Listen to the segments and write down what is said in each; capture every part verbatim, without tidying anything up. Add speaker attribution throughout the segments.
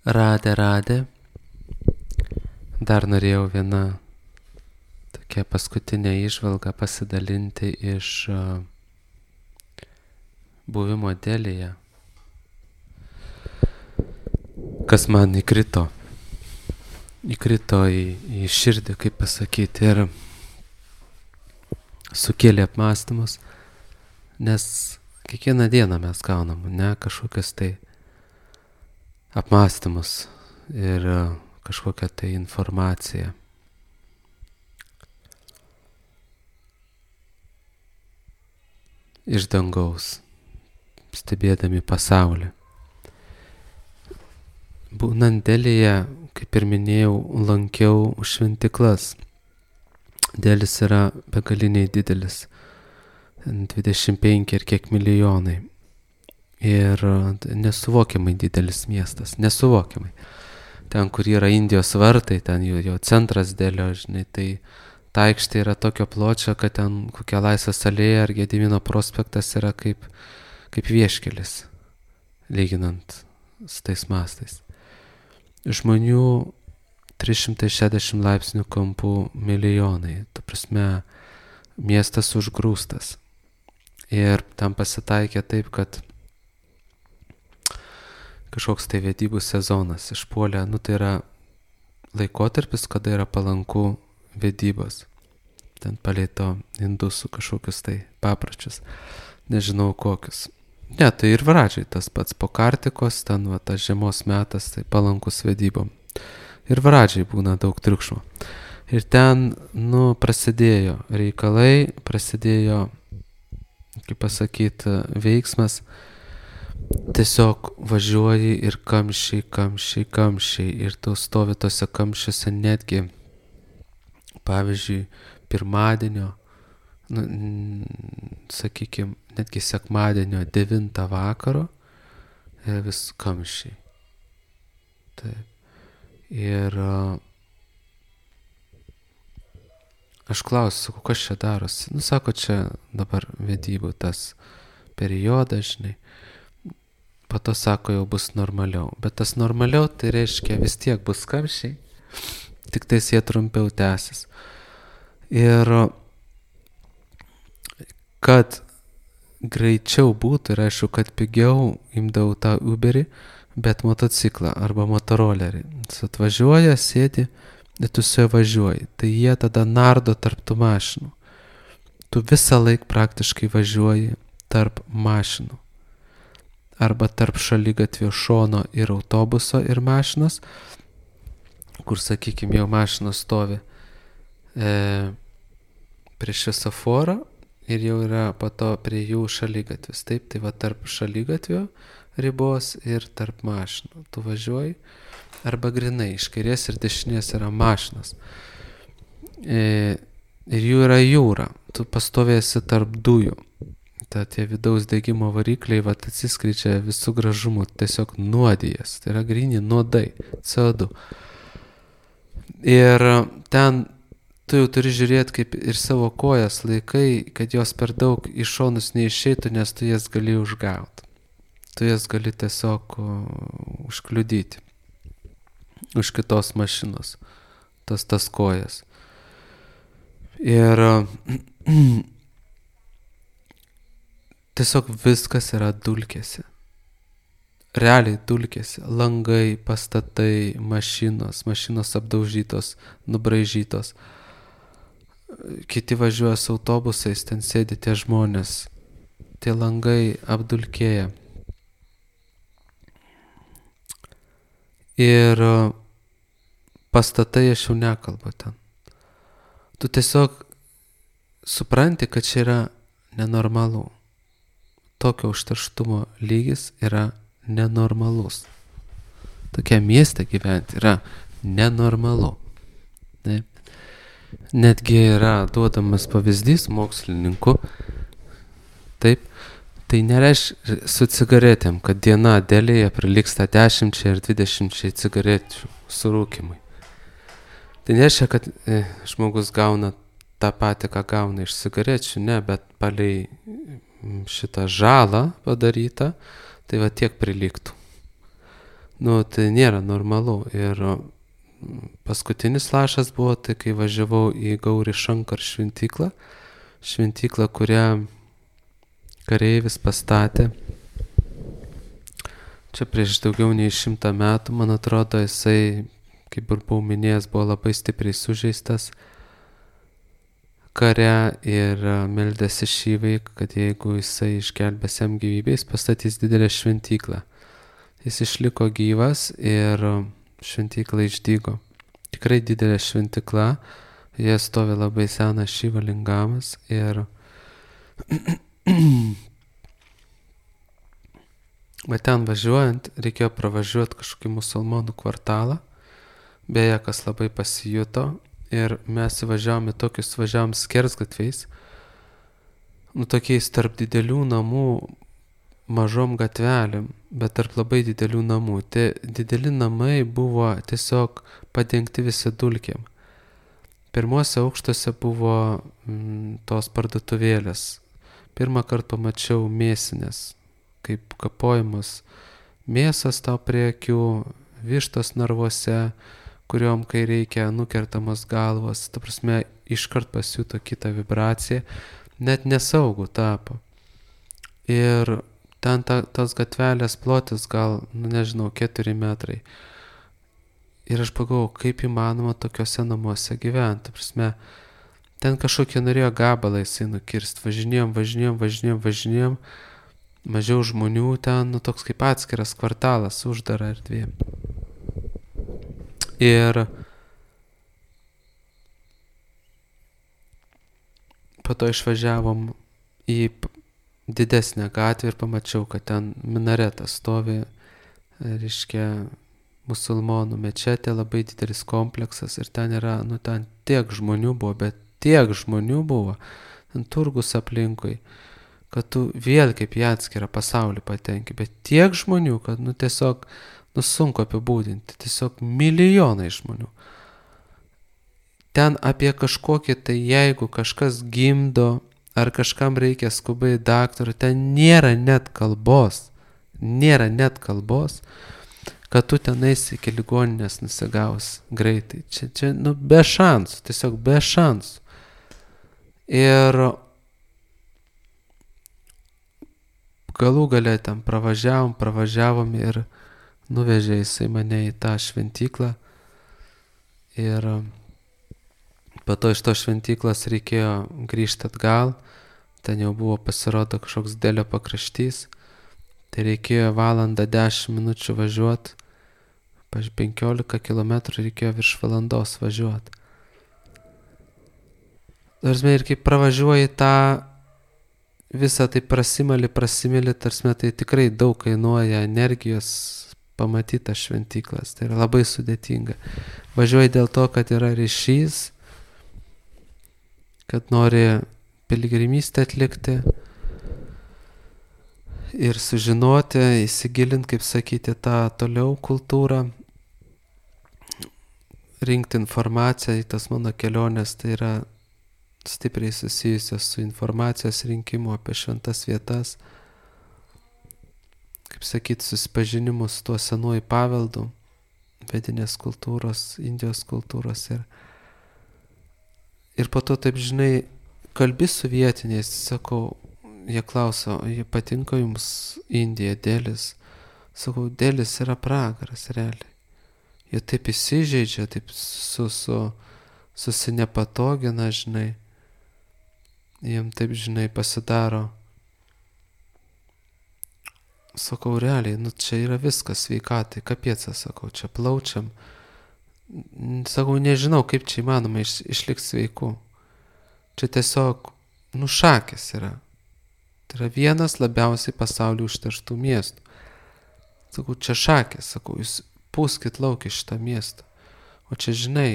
Speaker 1: Radė, radė. Dar norėjau vieną tokią paskutinę įžvalgą pasidalinti iš uh, buvimo Delyje. Kas man įkrito. Įkrito į, į širdį, kaip pasakyti, ir sukėlė apmąstymus, nes kiekvieną dieną mes gaunam, ne, kažkokias tai apmąstymus ir uh, kažkokią tai informaciją. Iš dangaus, stebėdami pasaulį. Būnant Delyje, kaip ir minėjau, lankiau šventiklas. Delis yra begaliniai didelis, dvidešimt penki ir kiek milijonai. Ir nesuvokiamai didelis miestas, nesuvokiamai. Ten, kur yra Indijos vartai, ten jo, jo centras Delio, žinai, tai ta aikštė yra tokio pločio, kad ten kokia Laisvės alėja ar Gedimino prospektas yra kaip, kaip vieškelis, lyginant su tais mastais. Žmonių trys šimtai šešiasdešimt laipsnių kampų milijonai, ta prasme, miestas užgrūstas. Ir tam pasitaikė taip, kad kažkoks tai vedybų sezonas išpuolė, nu tai yra laikotarpis, kada yra palanku vedybos. Ten palėto indusų kažkokius tai papročius, nežinau kokius. Ne, tai ir Vradžiai tas pats po Kartikos, ten va tas žiemos metas, tai palankus vedybom. Ir Vradžiai būna daug triukšmo. Ir ten, nu, prasidėjo reikalai, prasidėjo, kaip pasakyti, veiksmas. Tiesiog važiuoji ir kamščiai, kamščiai, kamščiai. Ir tu stovi tose kamščiuose netgi, pavyzdžiui, pirmadienio, nu, sakykime, netgi sekmadienio devintą vakaro ir vis kamščiai. Taip. Ir uh, aš klausiu, kas čia darosi. Nu, sako, čia dabar vedybų tas periodas, žinai. Po to sako, jau bus normaliau. Bet tas normaliau, tai reiškia, vis tiek bus kamščiai, tik tais jie trumpiau tęsis. Ir kad greičiau būtų, ir aišku, kad pigiau imdavau tą Uberį, bet motociklą arba motorolerį. Jis atvažiuoja, sėdi, ir tu su juo važiuoji. Tai jie tada nardo tarp tų mašinų. Tu visą laiką praktiškai važiuoji tarp mašinų. Arba tarp šaligatvio šono ir autobuso ir mašinos, kur, sakykime, jau mašinos stovi e, prie šviesoforą ir jau yra po to prie jų šaligatvis. Taip, tai va tarp šaligatvio ribos ir tarp mašinų. Tu važiuoji, arba grinai, iš kairės ir dešinės yra mašinos. E, ir jų yra jūra. Tu pastovėsi tarp dujų. Ta tie vidaus degimo varikliai va atsiskleidžia visų gražumų, tiesiog nuodijas. Tai yra gryni nuodai, C O du. Ir ten tu jau turi žiūrėti kaip ir savo kojas laikai, kad jos per daug į šonus neišeitų, nes tu jas gali užgauti. Tu jas gali tiesiog užkliudyti už kitos mašinos, tas tas kojas. Ir tiesiog viskas yra dulkėse. Realiai dulkėse. Langai, pastatai, mašinos, mašinos apdaužytos, nubraižytos. Kiti važiuoja su autobusais, ten sėdi tie žmonės. Tie langai apdulkėja. Ir pastatai aš jau nekalbu ten. Tu tiesiog supranti, kad čia yra nenormalu. Tokio užterštumo lygis yra nenormalus. Tokia mieste gyventi yra nenormalu. Ne? Netgi yra duodamas pavyzdys mokslininkų. Taip, tai nereiškia su cigaretėm, kad diena Delyje prilygsta dešimčiai ir dvidešimčiai cigarečių surūkimui. Tai nereiškia, kad e, žmogus gauna tą patį, ką gauna iš cigarečių, ne, bet palei šitą žalą padarytą, tai va tiek prilygtų. nu, tai nėra normalu. Ir paskutinis lašas buvo, tai kai važiavau į Gauri Šankar šventyklą, šventyklą, kurią kareivis pastatė. Čia prieš daugiau nei šimtą metų, man atrodo, jisai, kaip ir buvau minėjęs, buvo labai stipriai sužeistas kare ir meldėsi Šyvai, kad jeigu jisai išgelbės jam gyvybę, jis pastatys didelę šventyklą. Jis išliko gyvas ir šventykla išdygo. Tikrai didelė šventykla, jie stovi labai senas Šiva lingamas ir bet ten važiuojant reikėjo pravažiuoti kažkokį musulmonų kvartalą, beje, kas labai pasijuto. Ir mes įvažiavome tokius, važiavom skersgatviais, nu tokiais tarp didelių namų, mažom gatvelėm, bet tarp labai didelių namų. Tie dideli namai buvo tiesiog padengti visi dulkėm. Pirmuose aukštuose buvo mm, tos parduotuvėlės. Pirmą kartą pamačiau mėsinės, kaip kapojamos mėsas tau prie akių, vištos narvuose, kuriuom, kai reikia, nukertamos galvos, ta prasme, iškart pasijuto kitą vibraciją, net nesaugų tapo. Ir ten ta, tos gatvelės plotis gal, nu nežinau, keturi metrai. Ir aš pagalvojau, kaip įmanoma tokiuose namuose gyventi. Ta prasme, ten kažkokie norėjo gabalą jisai nukirst. Važinėjom, važinėjom, važinėjom, važinėjom. Mažiau žmonių ten, nu toks kaip atskiras kvartalas, uždara erdvė. Ir po to išvažiavom į didesnę gatvę ir pamačiau, kad ten minaretas stovi, reiškia, musulmonų mečetė, labai didelis kompleksas ir ten yra, nu ten tiek žmonių buvo, bet tiek žmonių buvo, ten turgus aplinkui, kad tu vėl kaip į atskirą pasaulį patenki, bet tiek žmonių, kad nu tiesiog, nu sunku apibūdinti, tiesiog milijonai žmonių. Ten apie kažkokį, tai jeigu kažkas gimdo, ar kažkam reikia skubai daktarų, ten nėra net kalbos, nėra net kalbos, kad tu ten eisi iki ligoninės nusigaus greitai. Čia, čia, nu, be šansų, tiesiog be šansų. Ir galų gale ten pravažiavom, pravažiavom ir nuvežė jisai mane į tą šventyklą. Ir po to iš to šventyklos reikėjo grįžti atgal. Ten jau buvo pasirodo kažkoks dėlio pakraštys. Tai reikėjo valandą dešimt minučių važiuoti. Paž penkiolika kilometrų reikėjo virš valandos važiuoti. Tarsime, ir kaip pravažiuoji tą visą tai prasimali, prasimili, tarsime, tai tikrai daug kainuoja energijos pamatyti tas šventyklas. Tai yra labai sudėtinga. Važiuoji dėl to, kad yra ryšys, kad nori piligrimystę atlikti ir sužinoti, įsigilinti, kaip sakyti, tą toliau kultūrą, rinkti informaciją į tas mano kelionės, tai yra stipriai susijusios su informacijos rinkimu apie šventas vietas, kaip sakyti, susipažinimu su tuo senuoju paveldu, vedinės kultūros, Indijos kultūros ir, ir po to, taip žinai, kalbi su vietiniais, sakau, jie klauso, jie patinka jums Indija, Delis? Sakau, Delis yra pragaras, realiai. Jie taip įsižeidžia, taip su, su, susinepatogina, žinai. Jiem taip, žinai, pasidaro. Sakau, realiai, nu čia yra viskas sveikatai, kapiecą, sakau, čia plaučiam. Sakau, nežinau, kaip čia įmanoma iš, išlikti sveiku. Čia tiesiog, nu, šakės yra. Tai yra vienas labiausiai pasaulyje užterštų miestų. Sakau, čia šakės, sakau, jūs pūskit lauk iš šitą miestą. O čia, žinai,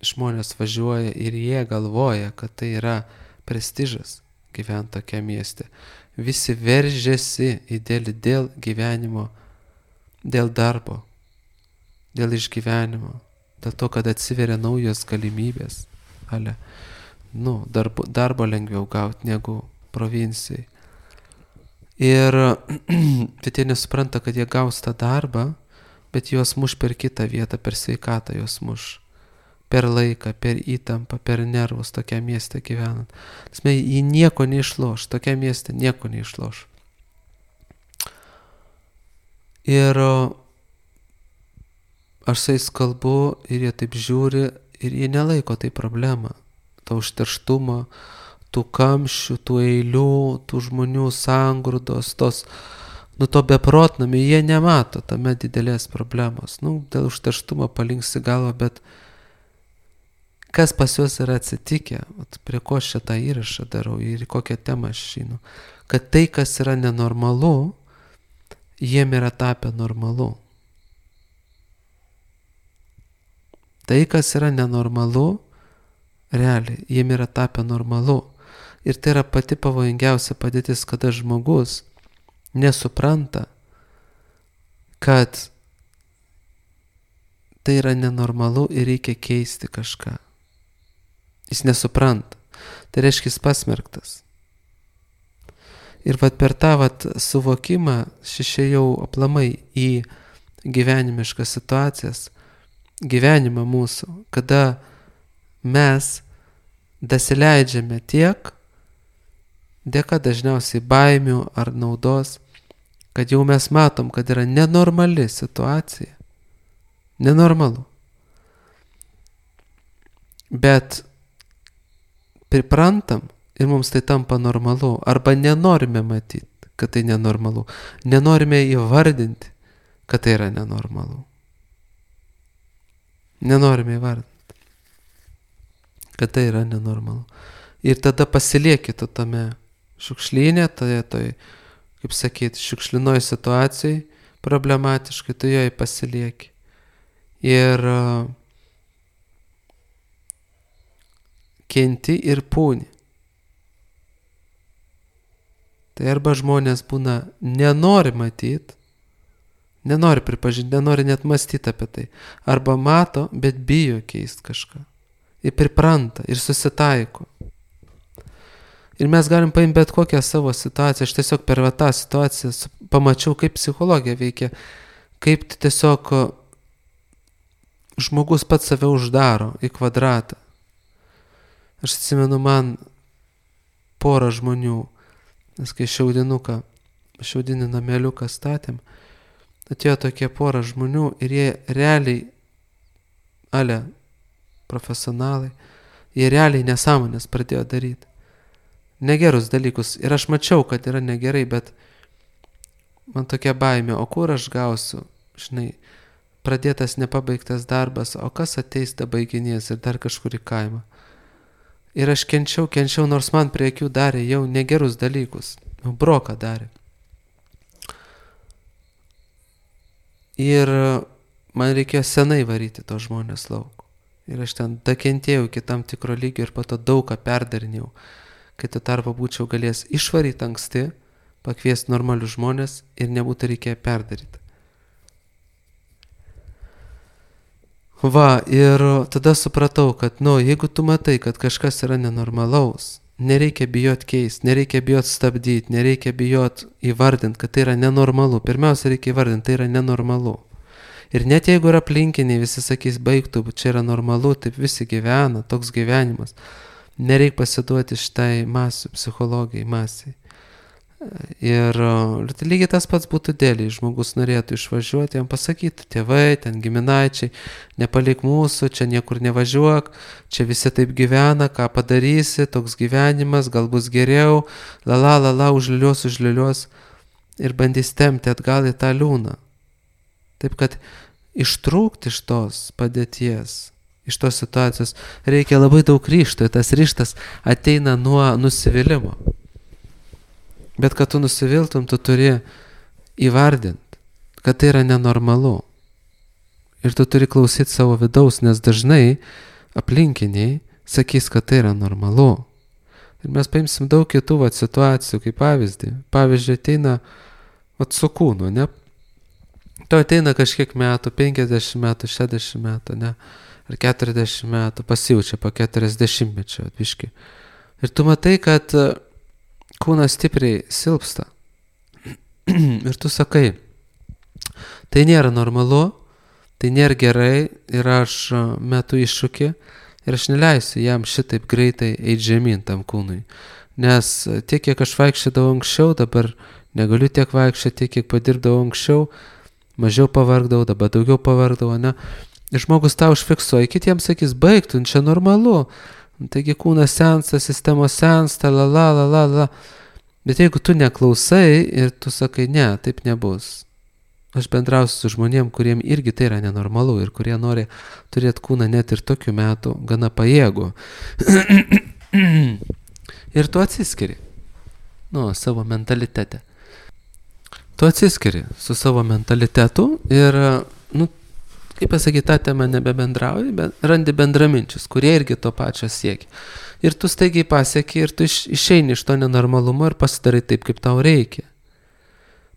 Speaker 1: žmonės važiuoja ir jie galvoja, kad tai yra prestižas gyventi tokia mieste. Visi veržiasi į dėl, dėl gyvenimo, dėl darbo, dėl išgyvenimo, dėl to, kad atsiveria naujos galimybės. Ale, nu, darbo, darbo lengviau gauti negu provincijai. Ir bet jie nesupranta, kad jie gaus tą darbą, bet juos muš per kitą vietą, per sveikatą juos muš. Per laiką, per įtampą, per nervus tokia mieste gyvenant. Tasme, jį nieko neišloš, tokia mieste nieko neišloš. Ir aš su jais kalbu ir jie taip žiūri ir jie nelaiko tai problemą. To užterštumo, tų kamščių, tų eilių, tų žmonių sangrūdos, tos, nu to beprotnami, jie nemato tame didelės problemos. Nu, dėl užterštumo palinksi galvą, bet kas pas juos yra atsitikę, prie ko aš šitą įrašą darau ir kokią temą aš žinu, kad tai, kas yra nenormalu, jiem yra tapę normalu. Tai, kas yra nenormalu, realiai, jiem yra tapę normalu. Ir tai yra pati pavojingiausia padėtis, kada žmogus nesupranta, kad tai yra nenormalu ir reikia keisti kažką. Jis nesupranta. Tai reiškia, jis pasmerktas. Ir vat per tą vat suvokimą šešėjau aplamai į gyvenimiškas situacijas, gyvenimą mūsų, kada mes dasileidžiame tiek, dėka dažniausiai baimių ar naudos, kad jau mes matom, kad yra nenormali situacija. Nenormalu. Bet priprantam ir mums tai tampa normalu, arba nenorime matyti, kad tai nenormalu. Nenorime įvardinti, kad tai yra nenormalu. Nenorime įvardinti, kad tai yra nenormalu. Ir tada pasilieki tu tame šiukšlyne, toje, toje, kaip sakyti, šiukšlinoj situacijai, problematiškai, tu joje pasilieki. Ir uh, kenti ir pūni. Tai arba žmonės būna nenori matyti, nenori pripažinti, nenori net mąstyti apie tai. Arba mato, bet bijo keisti kažką. Ir pripranta, ir susitaiko. Ir mes galim paimti bet kokią savo situaciją. Aš tiesiog per tą situaciją pamačiau, kaip psichologija veikia, kaip tiesiog žmogus pats save uždaro į kvadratą. Aš atsimenu, man porą žmonių, nes kai šiaudinuką, šiaudinį nameliuką statėm, atėjo tokie porą žmonių ir jie realiai, ale profesionalai, jie realiai nesąmonės pradėjo daryti. Negerus dalykus. Ir aš mačiau, kad yra negerai, bet man tokia baimė, o kur aš gausiu, žinai, pradėtas nepabaigtas darbas, o kas ateis da baiginės ir dar kažkur į kaimą. Ir aš kenčiau, kenčiau, nors man prie akių darė jau negerus dalykus. Broką darė. Ir man reikėjo senai varyti tos žmonės lauk. Ir aš ten dakentėjau iki tam tikro lygio ir po to daug ką perdarinėjau. Kai tu tarpo būčiau galės išvaryti anksti, pakviesti normalius žmonės ir nebūtų reikėję perdaryti. Va, ir tada supratau, kad, nu, jeigu tu matai, kad kažkas yra nenormalaus, nereikia bijot keisti, nereikia bijot stabdyti, nereikia bijot įvardinti, kad tai yra nenormalu. Pirmiausia, reikia įvardinti, tai yra nenormalu. Ir net jeigu yra aplinkiniai, visi sakys, baigtų, čia yra normalu, taip visi gyvena, toks gyvenimas. Nereik pasiduoti šitai masių, psichologijai, masiai. Ir lygiai tas pats būtų dėliai, žmogus norėtų išvažiuoti, jam pasakytų, tėvai, ten giminaičiai, nepalik mūsų, čia niekur nevažiuok, čia visi taip gyvena, ką padarysi, toks gyvenimas, gal bus geriau, lala, lala, užliulios, užliulios ir bandys tempti atgal į tą liūną. Taip kad ištrūkti iš tos padėties, iš tos situacijos reikia labai daug ryžto, ir tas ryžtas ateina nuo nusivylimų. Bet kad tu nusiviltum, tu turi įvardinti, kad tai yra nenormalu. Ir tu turi klausyti savo vidaus, nes dažnai aplinkiniai sakys, kad tai yra normalu. Ir mes paimsim daug kitų vat, situacijų, kaip pavyzdį. Pavyzdžiui, ateina vat, su kūnu, ne? To ateina kažkiek metų, penkiasdešimt metų, šešiasdešimt metų, ne? Ar keturiasdešimt metų, pasijaučia po keturiasdešimtmečio atviškai. Ir tu matai, kad kūnas stipriai silpsta. Ir tu sakai, tai nėra normalu, tai nėra gerai ir aš metu iššūkį ir aš neleisiu jam šitaip greitai eiti žemyn tam kūnui. Nes tiek, kiek aš vaikščiodavau anksčiau, dabar negaliu tiek vaikščioti, tiek, kiek padirbdavau anksčiau, mažiau pavargdavau, dabar daugiau pavargdavau, ne? Ir žmogus tą užfiksuoja, kitiems sakys, baigtų, čia normalu. Taigi kūnas sensta, sistemos sensta, la la la la la. Bet jeigu tu neklausai ir tu sakai, ne, taip nebus. Aš bendrausiu su žmonėm, kuriem irgi tai yra nenormalu ir kurie nori turėti kūną net ir tokiu metu gana pajėgų. Ir tu atsiskiri. Nu, savo mentalitete. Tu atsiskiri su savo mentalitetu ir, nu, kaip pasakyti, tą temą nebebendrauji, bet randi bendraminčius, kurie irgi to pačio siekia. Ir tu staigiai pasieki ir tu iš, išeini iš to nenormalumo ir pasidarai taip, kaip tau reikia.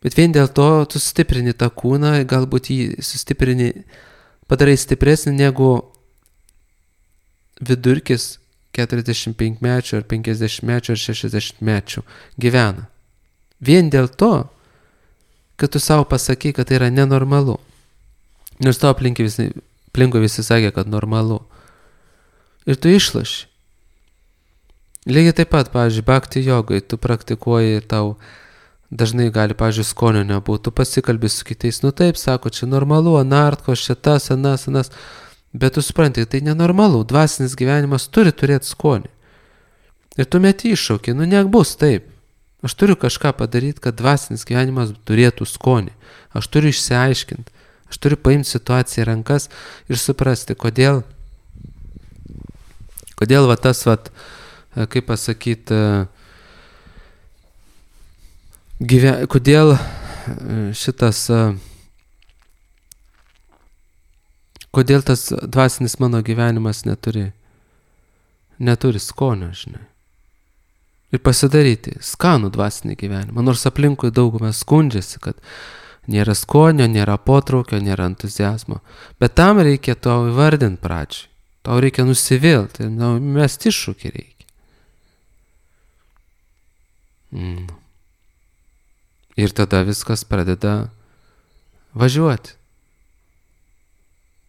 Speaker 1: Bet vien dėl to tu sustiprini tą kūną, galbūt jį sustiprini, padarai stipresnį negu vidurkis keturiasdešimtpenkmečių ar penkiasdešimtmečių ar šešiasdešimtmečių gyvena. Vien dėl to, kad tu savo pasakai, kad tai yra nenormalu. Nors to aplinkui visi, aplinkui visi sakė, kad normalu. Ir tu išlaši. Lygiai taip pat, pavyzdžiui, bhakti jogai, tu praktikuoji ir tau dažnai gali, pavyzdžiui, skonio nebūtų, tu pasikalbi su kitais, nu taip, sako, čia normalu, anartkos, čia tas, anas, anas, bet tu supranti, tai nenormalu, dvasinis gyvenimas turi turėti skonį. Ir tu meti iššaukį, nu nebus taip. Aš turiu kažką padaryti, kad dvasinis gyvenimas turėtų skonį. Aš turiu išsiaiškinti. Aš turiu paimti situaciją į rankas ir suprasti, kodėl, kodėl va tas, va, kaip pasakyti, gyve, kodėl šitas, kodėl tas dvasinis mano gyvenimas neturi, neturi skonio, žinai. Ir pasidaryti skanų dvasinį gyvenimą, nors aplinkui daugumą skundžiasi, kad nėra skonio, nėra potraukio, nėra entuzijazmo. Bet tam reikia tau įvardinti pradžiai. Tau reikia nusivilti, nu, mes iššūkį reikia. Mm. Ir tada viskas pradeda važiuoti.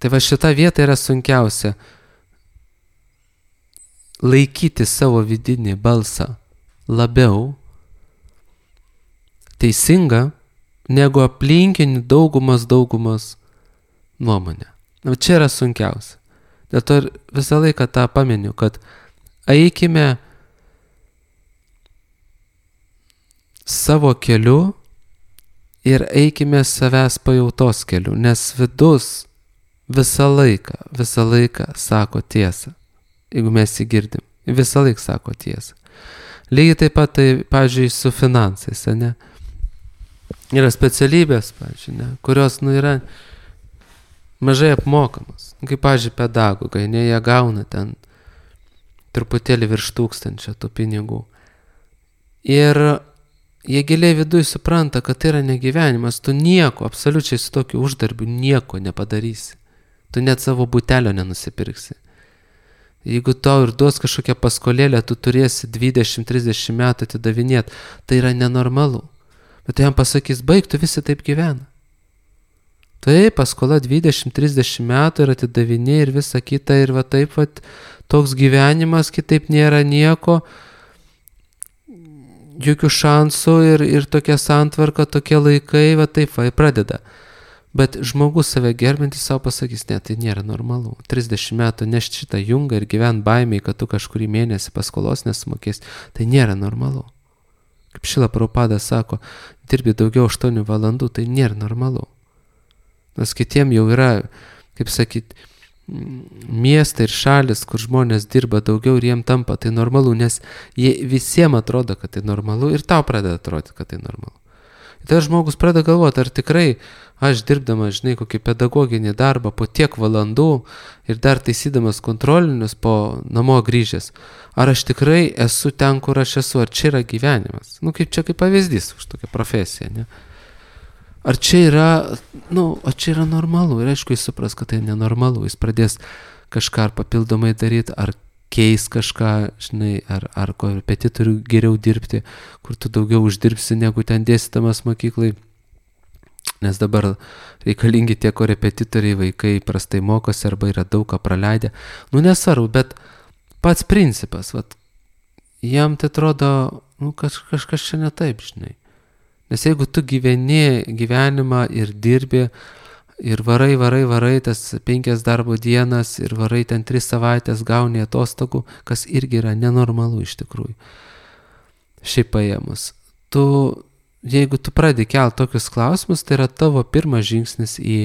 Speaker 1: Tai va šita vieta yra sunkiausia. Laikyti savo vidinį balsą labiau teisinga negu aplinkinių daugumas daugumas nuomonė. Na, čia yra sunkiausia. Dėl to visą laiką tą paminiu, kad eikime savo keliu ir eikime savęs pajautos keliu, nes vidus visą laiką, visą laiką sako tiesą, jeigu mes jį girdim. Visą laiką sako tiesą. Lygiai taip pat, tai, pavyzdžiui, su finansais, ne? Yra specialybės, pavyzdžiui, ne? Kurios, nu, yra mažai apmokamos. Kaip, pavyzdžiui, pedagogai, ne, jie gauna ten truputėlį virš tūkstančio tų pinigų. Ir jie giliai viduj supranta, kad tai yra negyvenimas, tu nieko, absoliučiai su tokiu uždarbiu nieko nepadarysi. Tu net savo butelio nenusipirksi. Jeigu tau ir duos kažkokią paskolėlę, tu turėsi dvidešimt trisdešimt metų atidavinėti, tai yra nenormalu. Bet jam pasakys, baig, tu visi taip gyvena. Taip, paskola dvidešimt trisdešimt metų ir atidavinė ir visa kita ir va taip, va, toks gyvenimas, kitaip nėra nieko, jokių šansų ir, ir tokia santvarka, tokie laikai, va taip, va, pradeda. Bet žmogus save gerbintis savo pasakys, ne, tai nėra normalu. trisdešimt metų nešti šitą jungą ir gyvent baimiai, kad tu kažkurį mėnesį paskolos nesumokės, tai nėra normalu. Kaip Šrila Prabhupada sako, dirbi daugiau aštuonių valandų, tai nėra normalu. Nes kitiem jau yra, kaip sakyt, miestai ir šalis, kur žmonės dirba daugiau ir jiem tampa tai normalu, nes jie visiems atrodo, kad tai normalu ir tau pradeda atrodyti, kad tai normalu. Ir tada žmogus pradeda galvoti, ar tikrai aš dirbdamas, žinai, kokį pedagoginį darbą po tiek valandų ir dar taisydamas kontrolinius po namo grįžęs, ar aš tikrai esu ten, kur aš esu, ar čia yra gyvenimas. Nu, kaip čia kaip pavyzdys už tokią profesiją, ne? Ar čia yra, nu, ar čia yra normalu? Ir aišku, jis supras, kad tai nenormalu. Jis pradės kažką ar papildomai daryti, ar keis kažką, žinai, ar, ar korepetitorių geriau dirbti, kur tu daugiau uždirbsi, negu ten dėstydamas mokyklai. nes dabar reikalingi tie korepetitoriai, vaikai prastai mokosi arba yra daug ką praleidę. Nu nesvarbu, bet pats principas, vat, jam tai atrodo, nu kaž, kažkas čia ne taip, žinai. Nes jeigu tu gyveni gyvenimą ir dirbi, ir varai, varai, varai tas penkias darbo dienas, ir varai ten tris savaitės gauni atostogų, kas irgi yra nenormalu iš tikrųjų. Šiaip paėmus. Tu, jeigu tu pradedi kelti tokius klausimus, tai yra tavo pirmas žingsnis į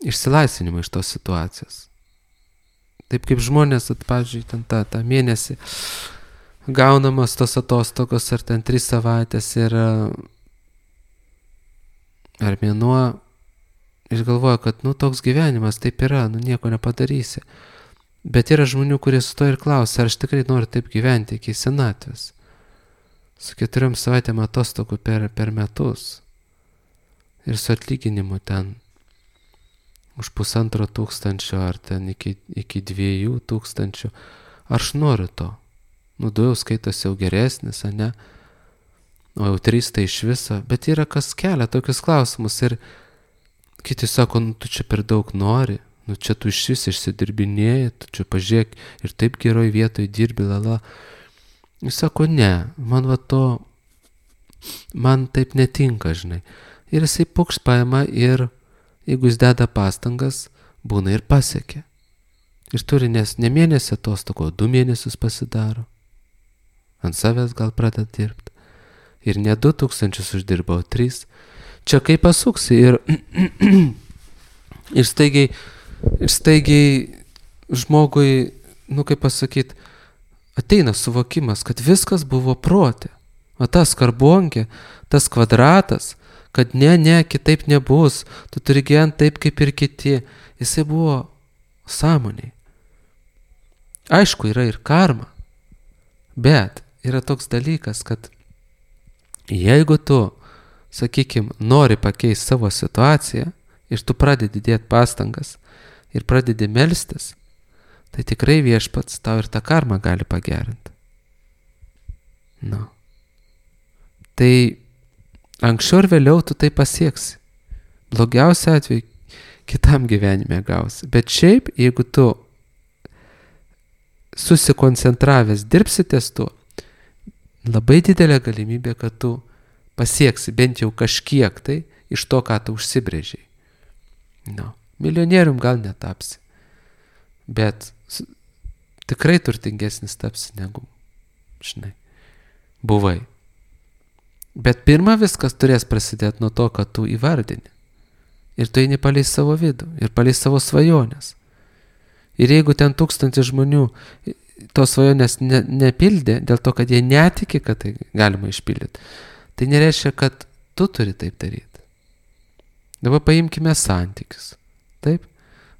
Speaker 1: išsilaisvinimą iš tos situacijos. Taip kaip žmonės, at, pavyzdžiui, ten tą, tą mėnesį gaunamas tos atostogos, ar ten tris savaitės, ir ar mėnuo, ir galvoja, kad, nu, toks gyvenimas, taip yra, nu, nieko nepadarysi. Bet yra žmonių, kurie su to ir klausia, ar aš tikrai noriu taip gyventi iki senatvės. Su keturiom savaitėm atostogų per, per metus. Ir su atlyginimu ten už pusantro tūkstančio, ar ten iki, iki dviejų tūkstančių. Ar aš noriu to? Nu, du jau skaitosi jau geresnis, a ne? O jau trys tai iš viso. Bet yra kas kelia tokius klausimus. Ir kiti sako, nu, tu čia per daug nori. Nu, čia tu iš vis išsidirbinėjai, tu čia pažiūrėk ir taip geroj vietoj dirbi, lala. Jis sako, ne, man va to, man taip netinka, žinai. Ir jisai pukšt paima ir, jeigu jis deda pastangas, būna ir pasiekia. Ir turi nes ne mėnesį atostogų, o du mėnesius pasidaro. Ant savęs gal pradeda dirbti. Ir ne du tūkstančius uždirba, o trys. Čia kaip pasuksi ir, ir staigiai, ir staigiai žmogui, nu kaip pasakyti, ateina suvokimas, kad viskas buvo protė. O tas karbonkė, tas kvadratas, kad ne, ne, kitaip nebus, tu turi gyventi taip kaip ir kiti. Jisai buvo sąmoniai. Aišku, yra ir karma, bet yra toks dalykas, kad jeigu tu, sakykim, nori pakeisti savo situaciją ir tu pradedi dėti pastangas ir pradedi melstis, tai tikrai viešpats tau ir tą karmą gali pagerinti. Nu. Tai anksčiau ir vėliau tu tai pasieksi. Blogiausia atveju kitam gyvenime gausi. Bet šiaip, jeigu tu susikoncentravęs dirbsi ties tuo, labai didelė galimybė, kad tu pasieksi bent jau kažkiek tai iš to, ką tu užsibrėžiai. Nu. Milijonierium gal netapsi. Bet tikrai turtingesnis tapsi negu, žinai, buvai. Bet pirma viskas turės prasidėti nuo to, kad tu įvardini. Ir tu eini palei savo vidų, ir palei savo svajonės. Ir jeigu ten tūkstantis žmonių tos svajonės ne, nepildė, dėl to, kad jie netiki, kad tai galima išpildyti, tai nereiškia, kad tu turi taip daryti. Dabar paimkime santykius. Taip?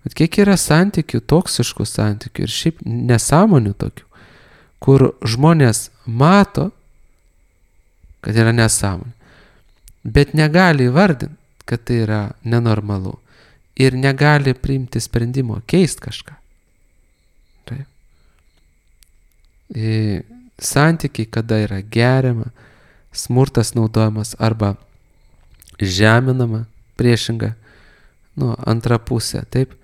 Speaker 1: Bet kiek yra santykių, toksiškų santykių ir šiaip nesąmonių tokių, kur žmonės mato, kad yra nesąmonė, bet negali įvardinti, kad tai yra nenormalu ir negali priimti sprendimo keisti kažką. Taip. Ir santykiai, kada yra geriama, smurtas naudojamas arba žeminama, priešinga, nu, antra pusė, taip.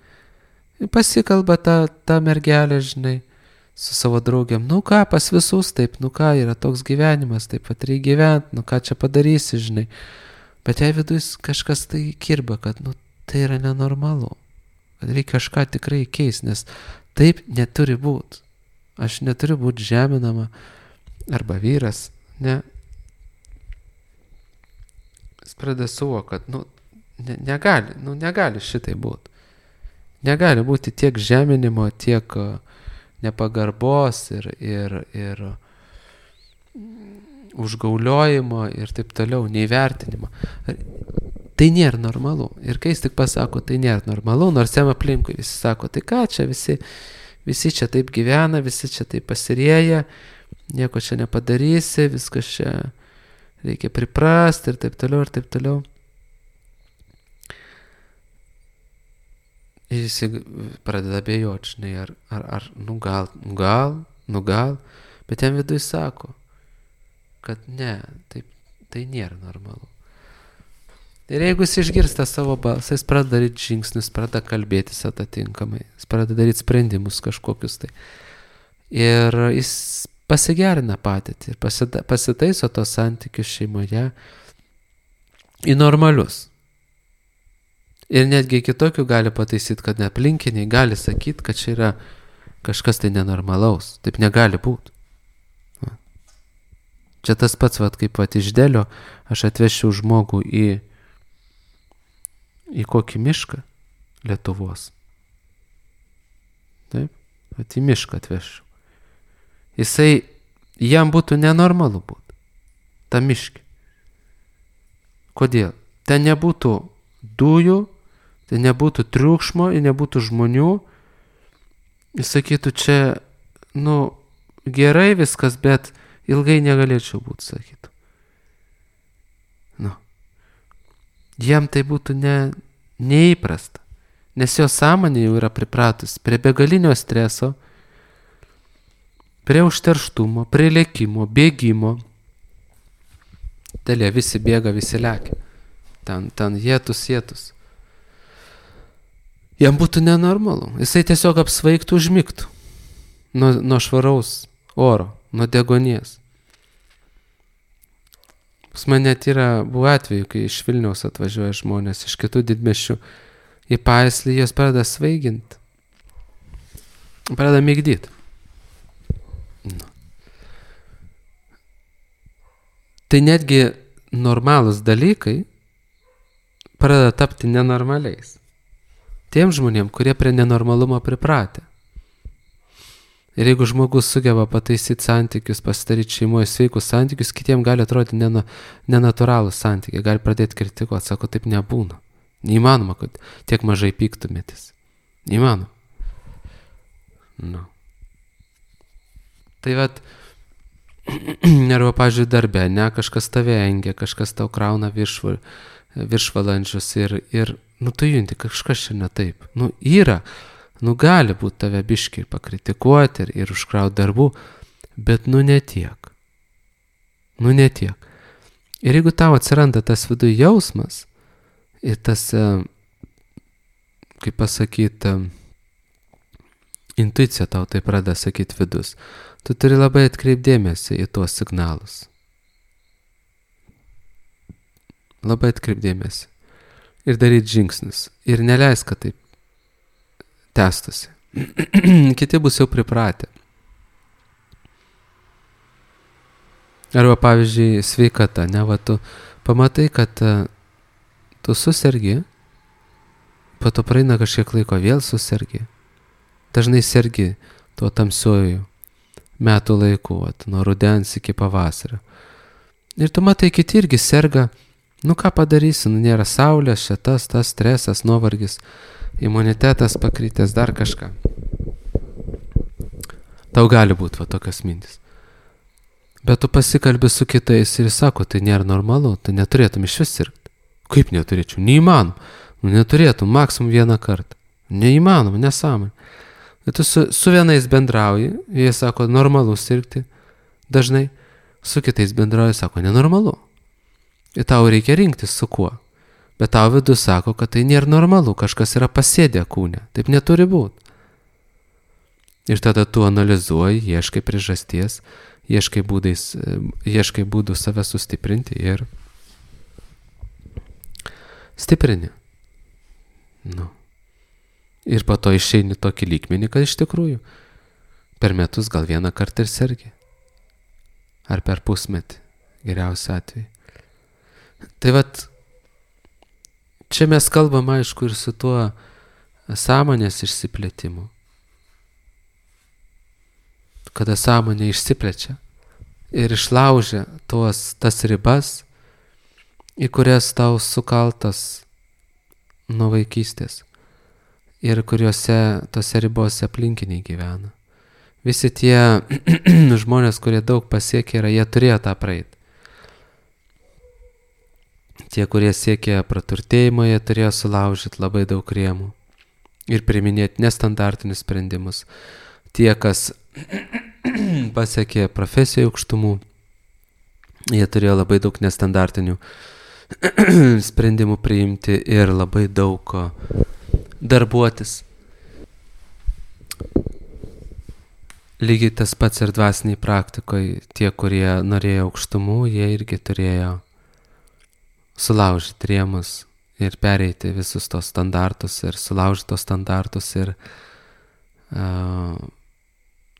Speaker 1: Pasikalba tą, tą mergelę, žinai, su savo draugiam. Nu ką, pas visus taip, nu ką, yra toks gyvenimas, taip pat reikia gyventi, nu ką čia padarysi, žinai. Bet jei viduje kažkas tai kirba, kad, nu, tai yra nenormalu. Kad reikia kažką tikrai keisti, nes taip neturi būti. Aš neturiu būti žeminama, arba vyras, ne. Jis pradeda suvokti, kad, nu, ne, negali, nu, negali šitai būti. Negali būti tiek žeminimo, tiek nepagarbos ir, ir, ir užgauliojimo ir taip toliau, neįvertinimo. Tai nėra normalu. Ir kai jis tik pasako, tai nėra normalu, nors jam aplinkui visi sako, tai ką čia visi, visi čia taip gyvena, visi čia taip pasirėja, nieko čia nepadarysi, viskas čia reikia priprasti ir taip toliau ir taip toliau. Ir jis pradeda abejoti, žinai, ar, ar, ar nu gal, nu gal, nu gal, bet jam viduje sako, kad ne, taip, tai nėra normalu. Ir jeigu jis išgirsta savo balsą, jis pradeda daryti žingsnius, pradeda kalbėtis atitinkamai, jis pradeda daryti sprendimus kažkokius tai. Ir jis pasigerina patirtį ir pasita, pasitaiso tos santykius šeimoje į normalius. Ir netgi kitokių gali pataisyti, kad neaplinkiniai gali sakyti, kad čia yra kažkas tai nenormalaus. Taip negali būti. Čia tas pats, vat, kaip vat, iš Delio aš atvešiu žmogų į, į kokį mišką Lietuvos. Taip, vat, į mišką atvešiu. Jisai, jam būtų nenormalu būti. Ta miški. Kodėl? Ten nebūtų dujų, ten nebūtų triukšmo ir nebūtų žmonių. Jis sakytų, čia, nu, gerai viskas, bet ilgai negalėčiau būti, sakytų. Nu. Jam tai būtų ne, neįprasta, nes jo sąmonė jau yra pripratus prie begalinio streso, prie užterštumo, prie lėkimo, bėgimo. Telė, visi bėga, visi lekia. Ten, ten jėtus, jėtus. Jam būtų nenormalu. Jisai tiesiog apsvaigtų, užmigtų. Nuo, nuo švaraus oro, nuo degonės. Pas man net yra buvo atveju, kai iš Vilniaus atvažiuoja žmonės, iš kitų didmiesčių į Paislį, jos pradeda svaiginti. Pradeda migdyti. Nu. Tai netgi normalūs dalykai pradeda tapti nenormaliais. Tiem žmonėm, kurie prie nenormalumo pripratę. Ir jeigu žmogus sugeba pataisyti santykius, pasidaryti šeimoje sveikus santykius, kitiem gali atrodyti nena, nenatūralūs santykiai, gali pradėti kritikuoti, sako, taip nebūna. Neįmanoma, kad tiek mažai pyktumėtis. Neįmanoma. Nu. Tai vat, arba, pavyzdžiui, darbe, ne, kažkas tave engia, kažkas tau krauna viršval, viršvalandžius ir, ir, nu, tu junti, kažkas čia ne taip. Nu, yra, nu, gali būti tave biškiai pakritikuoti ir, ir užkrauti darbų, bet, nu, ne tiek. Nu, ne tiek. Ir jeigu tau atsiranda tas viduje jausmas ir tas, kaip pasakyti, intuicija tau tai pradeda sakyti vidus, tu turi labai atkreipdėmėsi į tuos signalus. Labai atkreipdėmėsi. Ir daryti žingsnius. Ir neleis, kad taip tęstusi. Kiti bus jau pripratę. Arba, pavyzdžiui, sveikata. Ne, va, tu pamatai, kad uh, tu susergi, po to praeina kažkiek laiko, vėl susergi. Dažnai sergi tuo tamsiuoju metų laiku, vat, nuo rudens iki pavasario. Ir tu matai, kiti irgi serga. Nu, ką padarysi, nu, nėra saulės, šitas, tas stresas, nuovargis, imunitetas pakrytęs, dar kažką. Tau gali būti va tokios mintis. Bet tu pasikalbi su kitais ir sako, tai nėra normalu, tai neturėtum iš vis sirgti. Kaip neturėčiau? Neįmanom. Nu, neturėtum, maksimum vieną kartą. Neįmanom, nesąmonė. Bet tu su, su vienais bendrauji, jie sako, normalu sirgti dažnai, su kitais bendrauji, sako, nenormalu. Ir tau reikia rinktis su kuo. Bet tau vidus sako, kad tai nėra normalu, kažkas yra pasėdę kūne. Taip neturi būti. Ir tada tu analizuoji, ieškai priežasties, ieškai, būdais, ieškai būdų save sustiprinti ir stiprini. Nu. Ir po to išeini tokį lygmenį, kad iš tikrųjų per metus gal vieną kartą ir sergi. Ar per pusmetį, geriausiu atveju. Tai vat, čia mes kalbam, aišku, ir su tuo sąmonės išsiplėtimu. Kada sąmonė išsiplečia ir išlaužia tuos, tas ribas, į kurias tau sukaltas nuo vaikystės ir kuriuose tose ribose aplinkiniai gyvena. Visi tie žmonės, kurie daug pasiekė, yra, jie turėjo tą praeiti. Tie, kurie siekė praturtėjimo, jie turėjo sulaužyti labai daug rėmų ir priiminėti nestandartinius sprendimus. Tie, kas pasiekė profesijų aukštumų, jie turėjo labai daug nestandartinių sprendimų priimti ir labai daug darbuotis. Lygiai tas pats ir dvasiniai praktikoje, tie, kurie norėjo aukštumų, jie irgi turėjo sulaužyti rėmus ir pereiti visus tos standartus ir sulaužyti tos standartus ir uh,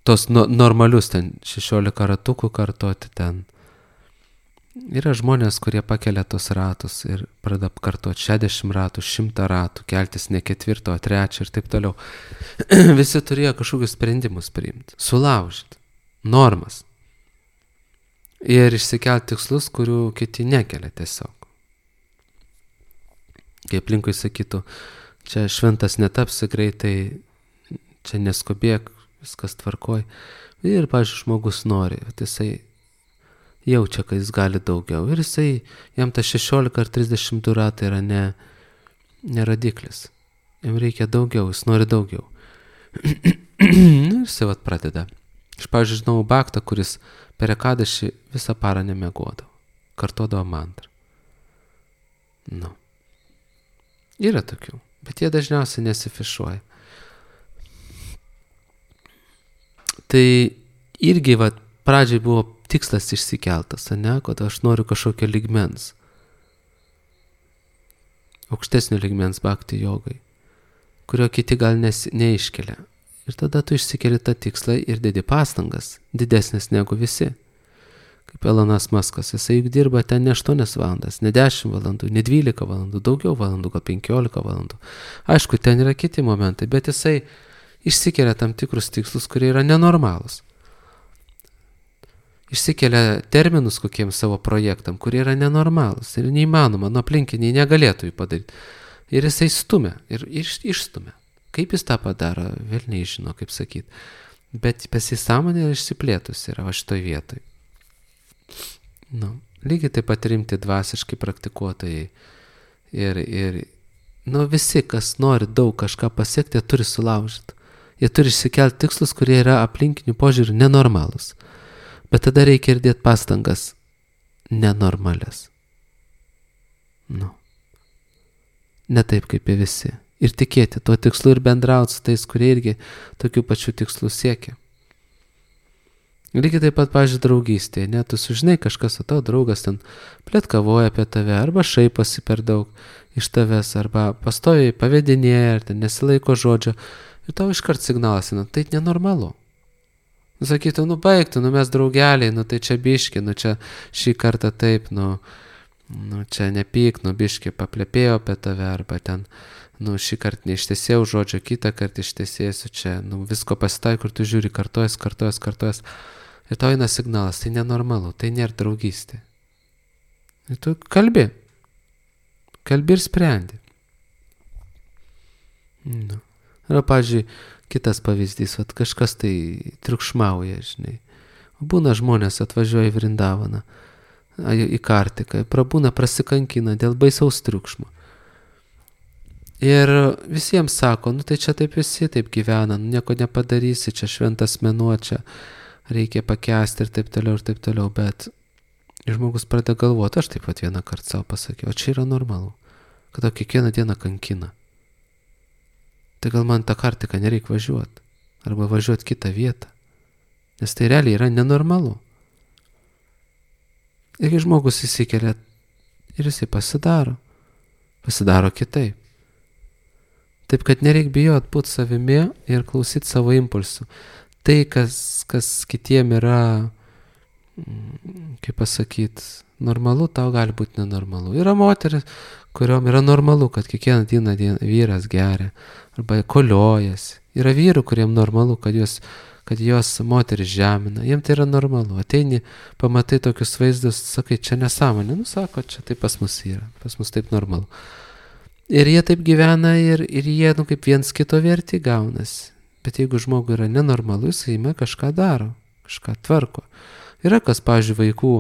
Speaker 1: tos no, normalius ten šešiolika ratukų kartoti ten. Yra žmonės, kurie pakelia tos ratus ir pradeda kartoti šešiasdešimt ratų, šimtą ratų, keltis ne ketvirto, o trečio ir taip toliau. Visi turėjo kažkokius sprendimus priimti, sulaužyti normas ir išsikelti tikslus, kurių kiti nekelia tiesiog. Kai aplinkui sakytų, čia šventas netapsi greitai, čia neskubėk, viskas tvarkoj. Ir, pavyzdžiui, žmogus nori, jisai jaučia, kad jis gali daugiau. Ir jisai, jam ta šešiolika ar trisdešimt du ratai yra ne, ne radiklis. Jam reikia daugiau, jis nori daugiau. Ir jisai vat pradeda. Aš, pavyzdžiui, žinau baktą, kuris per ekadašį visą parą nemiegodavo. Kartodavo mantrą. Nu. Yra tokių, bet jie dažniausiai nesifišuoja. Tai irgi, vat, pradžiai buvo tikslas išsikeltas, ne, kad aš noriu kažkokio lygmens, aukštesnio lygmens bhakti jogai, kurio kiti gal nes, neiškelia. Ir tada tu išsikeli tą tikslą ir dedi pastangas, didesnės negu visi. Kaip Elonas Muskas, jisai juk dirba ten ne aštuonias valandas, ne dešimt valandų, ne dvylika valandų, daugiau valandų, gal penkiolika valandų. Aišku, ten yra kiti momentai, bet jisai išsikelia tam tikrus tikslus, kurie yra nenormalūs. Išsikelia terminus kokiems savo projektam, kurie yra nenormalūs ir neįmanoma, nuo aplinkiniai negalėtų jų padaryti. Ir jisai stumia ir iš, išstumia. Kaip jis tą padaro, vėl nežino, kaip sakyti. Bet pasisąmonė yra išsiplėtus yra va šitoj vietoj. Nu, lygiai taip pat rimti dvasiškai praktikuotojai. Ir, ir nu, visi, kas nori daug kažką pasiekti, jie turi sulaužyti. Jie turi išsikelti tikslus, kurie yra aplinkinių požiūrių nenormalūs. Bet tada reikia ir dėti pastangas nenormalias. Nu. Ne taip kaip ir visi. Ir tikėti tuo tikslu ir bendrauti su tais, kurie irgi tokių pačių tikslų siekia. Lygiai taip pat, pavyzdžiui, draugystėje, ne, tu sužinai kažkas, o tavo draugas ten pletkavoja apie tave, arba šaiposi per daug iš tavęs, arba pastoviai pavedinėja, ar ten nesilaiko žodžio, ir tau iškart signalas, nu, tai nenormalu. Nu, sakytų, nu, baigtų, nu, mes draugeliai, nu, tai čia biški, nu, čia šį kartą taip, nu, nu čia nepyk, nu, biški paplepėjo apie tave, arba ten, nu, šį kartą neištesėjau žodžio, kitą kartą ištesėsiu čia, nu, visko pasitai, kur tu žiūri, kartojas, kartojas, kartojas. Ir tau eina signalas, tai nenormalu, tai nėra draugystė. Ir tu kalbi. Kalbi ir sprendi. Nu. Yra, pavyzdžiui, kitas pavyzdys, vat kažkas tai triukšmauja, žinai. Būna žmonės atvažiuoja į Vrindavaną, į Kartiką, prabūna, prasikankina dėl baisaus triukšmo. Ir visiems sako, nu tai čia taip visi taip gyvena, nu, nieko nepadarysi, čia šventas mėnuo, čia reikia pakęsti ir taip toliau ir taip toliau, bet žmogus pradeda galvoti, aš taip pat vieną kartą savo pasakiau, o čia yra normalu, kad o kiekvieną dieną kankina. Tai gal man tą Kartiką nereikia važiuoti, arba važiuoti kitą vietą, nes tai realiai yra nenormalu. Ir kai žmogus įsikelia ir jisai pasidaro, pasidaro kitaip. Taip, kad nereik bijot būti savimi ir klausyti savo impulsų. Tai, kas, kas kitiem yra, kaip pasakyti, normalu, tau gali būti nenormalu. Yra moteris, kuriom yra normalu, kad kiekvieną dieną, dieną vyras geria arba koliojasi. Yra vyrų, kuriem normalu, kad jos, kad jos moteris žemina. Jiem tai yra normalu. Ateini, pamatai tokius vaizdus, sakai, čia nesąmonė. Nu, sako, čia taip pas mus yra. Pas mus taip normalu. Ir jie taip gyvena ir, ir jie, nu, kaip viens kito verti gaunasi. Bet jeigu žmogui yra nenormalu, jis įme kažką daro, kažką tvarko. Yra kas, pavyzdžiui, vaikų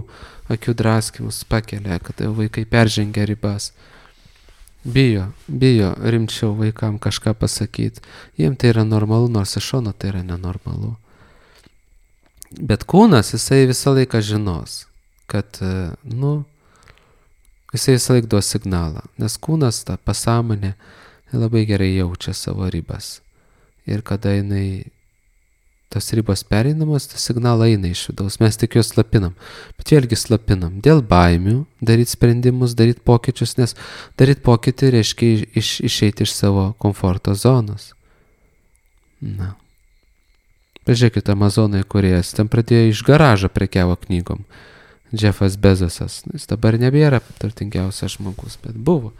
Speaker 1: akių draskimus pakelia, kad vaikai peržengia ribas. Bijo, bijo rimčiau vaikam kažką pasakyti. Jiem tai yra normalu, nors iš šono tai yra nenormalu. Bet kūnas, jisai visą laiką žinos, kad, nu, jisai visą laik duos signalą, nes kūnas, ta pasąmonė, labai gerai jaučia savo ribas. Ir kada jinai, tos ribos pereinamos, tas signalą eina iš vidaus, mes tik juos slapinam. Bet vėlgi slapinam dėl baimių, daryti sprendimus, daryti pokyčius, nes daryti pokytį reiškia iš, išeiti iš savo komforto zonos. Na. Pažiūrėkite, Amazonai kūrėjas, ten pradėjo iš garažo prekiavo knygom. Jeffas Bezosas, jis dabar nebėra turtingiausias žmogus, bet buvo.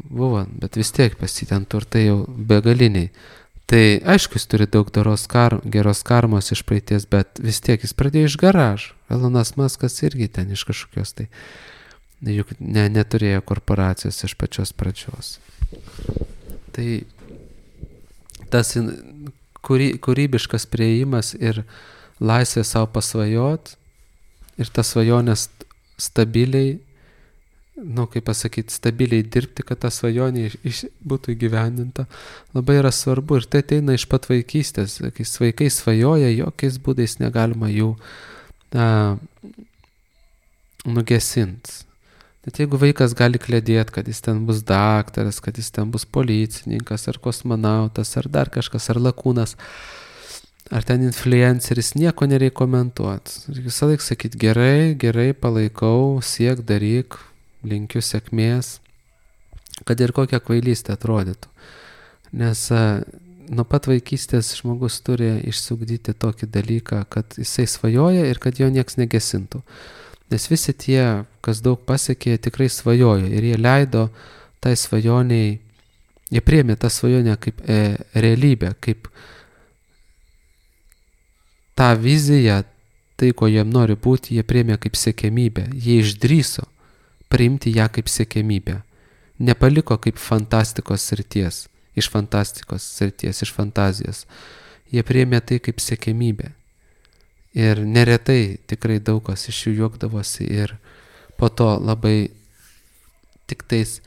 Speaker 1: Buvo, bet vis tiek pas jį ten turtai jau begaliniai. Tai aišku, jis turi daug doros kar, geros karmos iš praeities, bet vis tiek jis pradėjo iš garažo. Elonas Muskas irgi ten iš kažkokios, tai juk ne, neturėjo korporacijos iš pačios pradžios. Tai tas kūry, kūrybiškas priėjimas ir laisvė savo pasvajot ir tas svajonės stabiliai, nu, kaip pasakyti, stabiliai dirbti, kad ta svajonė iš, iš, būtų įgyvendinta, labai yra svarbu. Ir tai ateina iš pat vaikystės. Kai vaikai svajoja, jokiais būdais negalima jų a, nugesinti. Net jeigu vaikas gali klėdėti, kad jis ten bus daktaras, kad jis ten bus policininkas, ar kosmonautas, ar dar kažkas, ar lakūnas, ar ten influenceris, nieko nereikia komentuoti. Visą laiką sakyti, gerai, gerai, palaikau, siek, daryk, linkiu sėkmės, kad ir kokia kvailystė atrodytų. Nes a, nuo pat vaikystės žmogus turi išsiugdyti tokį dalyką, kad jisai svajoja ir kad jo nieks negesintų. Nes visi tie, kas daug pasiekė, tikrai svajojo ir jie leido tai svajoniai, jie priėmė tą svajonę kaip e, realybę, kaip tą viziją, tai, ko jiem nori būti, jie priėmė kaip siekiamybę, jie išdryso priimti ją kaip siekiamybę. Nepaliko kaip fantastikos srities, iš fantastikos srities, iš fantazijos. Jie priėmė tai kaip siekiamybę. Ir neretai tikrai daug kas iš jų juokdavosi ir po to labai tik tais,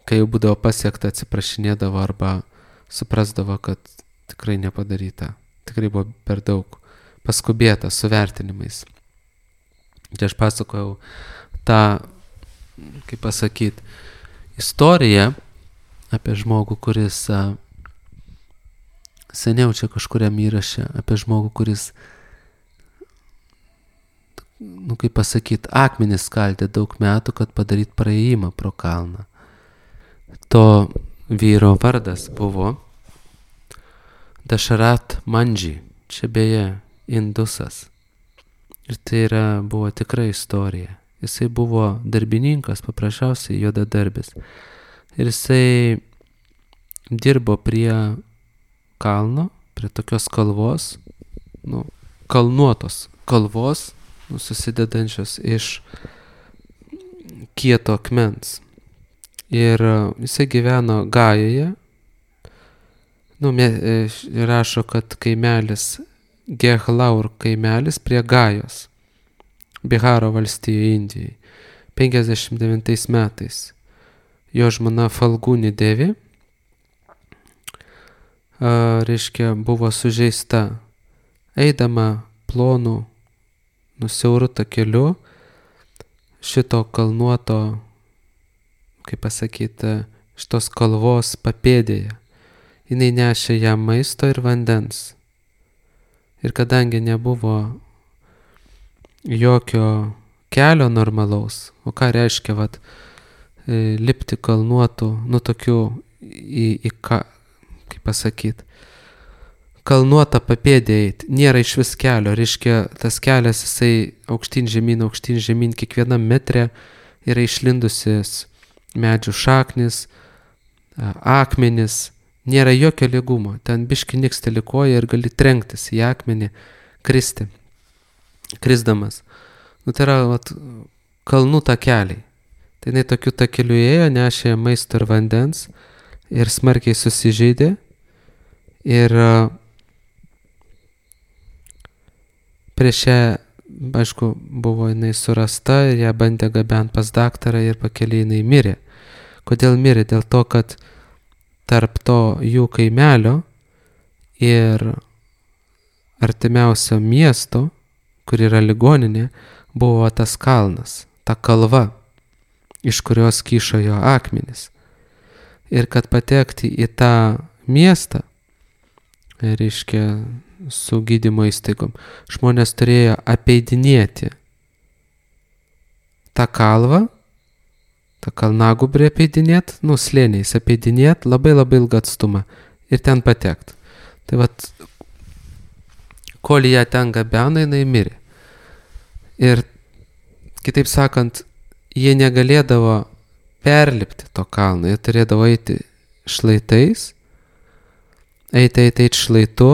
Speaker 1: kai jau būdavo pasiekta, atsiprašinėdavo arba suprasdavo, kad tikrai nepadaryta. Tikrai buvo per daug paskubėta su vertinimais. Čia aš pasakojau tą, kaip pasakyti, istoriją apie žmogų, kuris a, seniau čia kažkuriam įraše, apie žmogų, kuris, nu kaip pasakyti, akmenis skaldė daug metų, kad padaryt praėjimą pro kalną. To vyro vardas buvo Dašarat Mandži, čia beje indusas. Ir tai yra, buvo tikra istorija. Jisai buvo darbininkas, paprasčiausiai juodadarbis. Ir jisai dirbo prie kalno, prie tokios kalvos, nu, kalnuotos kalvos, nu, susidedančios iš kieto akmens. Ir jisai gyveno Gajoje. Nu, rašo, kad kaimelis Gehlaur kaimelis prie Gajos, Biharo valstijoje Indijai, penkiasdešimt devintais metais. Jo žmona Falguni Devi, a, reiškia, buvo sužeista, eidama plonu, nusiauru takeliu, šito kalnuoto, kaip pasakyti, šitos kalvos papėdėje. Jinai nešė jam maisto ir vandens. Ir kadangi nebuvo jokio kelio normalaus, o ką reiškia, vat, lipti kalnuotų, nu tokių, į, į ką, kaip pasakyti, kalnuotą papėdę eiti, nėra iš vis kelio, reiškia, tas kelias, jisai aukštyn žemyn, aukštyn žemyn, kiekvienam metre yra išlindusis medžių šaknis, akmenis, nėra jokio lygumo, ten biški niksteli koja ir gali trenktis į akmenį, kristi, krisdamas. Nu, tai yra vat, kalnų takeliai. Tai jinai tokiu takeliu ėjo, nešė maisto ir vandens ir smarkiai susižeidė. Ir prieš ją, aišku, buvo jinai surasta ir ją bandė gabent pas daktarą ir pakeliai jinai mirė. Kodėl mirė? Dėl to, kad tarp to jų kaimelio ir artimiausio miesto, kur yra ligoninė, buvo tas kalnas. ta kalva, iš kurios kyšo jo akmenys. Ir kad patekti į tą miestą, reiškia, su gydymo įstaigom, žmonės turėjo apeidinėti tą kalvą, tą kalnagubrį apeidinėti, nu, slėniais apeidinėti labai labai ilgą atstumą ir ten patekti. Tai vat, kol ją ten gabena, jinai mirė. Ir, kitaip sakant, jie negalėdavo perlipti to kalno, jie turėdavo eiti šlaitais, eiti, eiti, eiti šlaitu,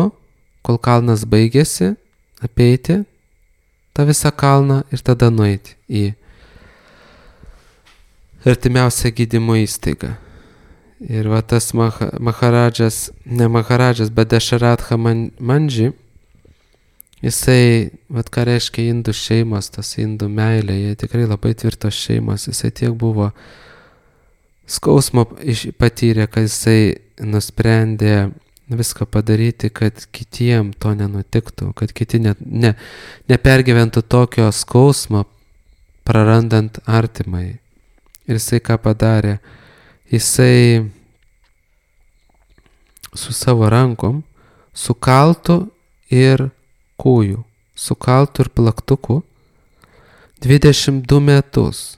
Speaker 1: kol kalnas baigėsi, apeiti tą visą kalną ir tada nueiti į artimiausią gydymo įstaigą. Ir va tas maha, Maharadžas, ne Maharadžas, bet Dašaratha Mandži, jisai, vat ką reiškia indų šeimos, tas indų meilė, jie tikrai labai tvirtos šeimos, jisai tiek buvo skausmo patyrė, kad jisai nusprendė viską padaryti, kad kitiem to nenutiktų, kad kiti ne, ne, nepergyventų tokio skausmo, prarandant artimai. Ir jisai ką padarė? Jisai su savo rankom, su kaltu ir kūju, su kaltu ir plaktuku, dvidešimt du metus,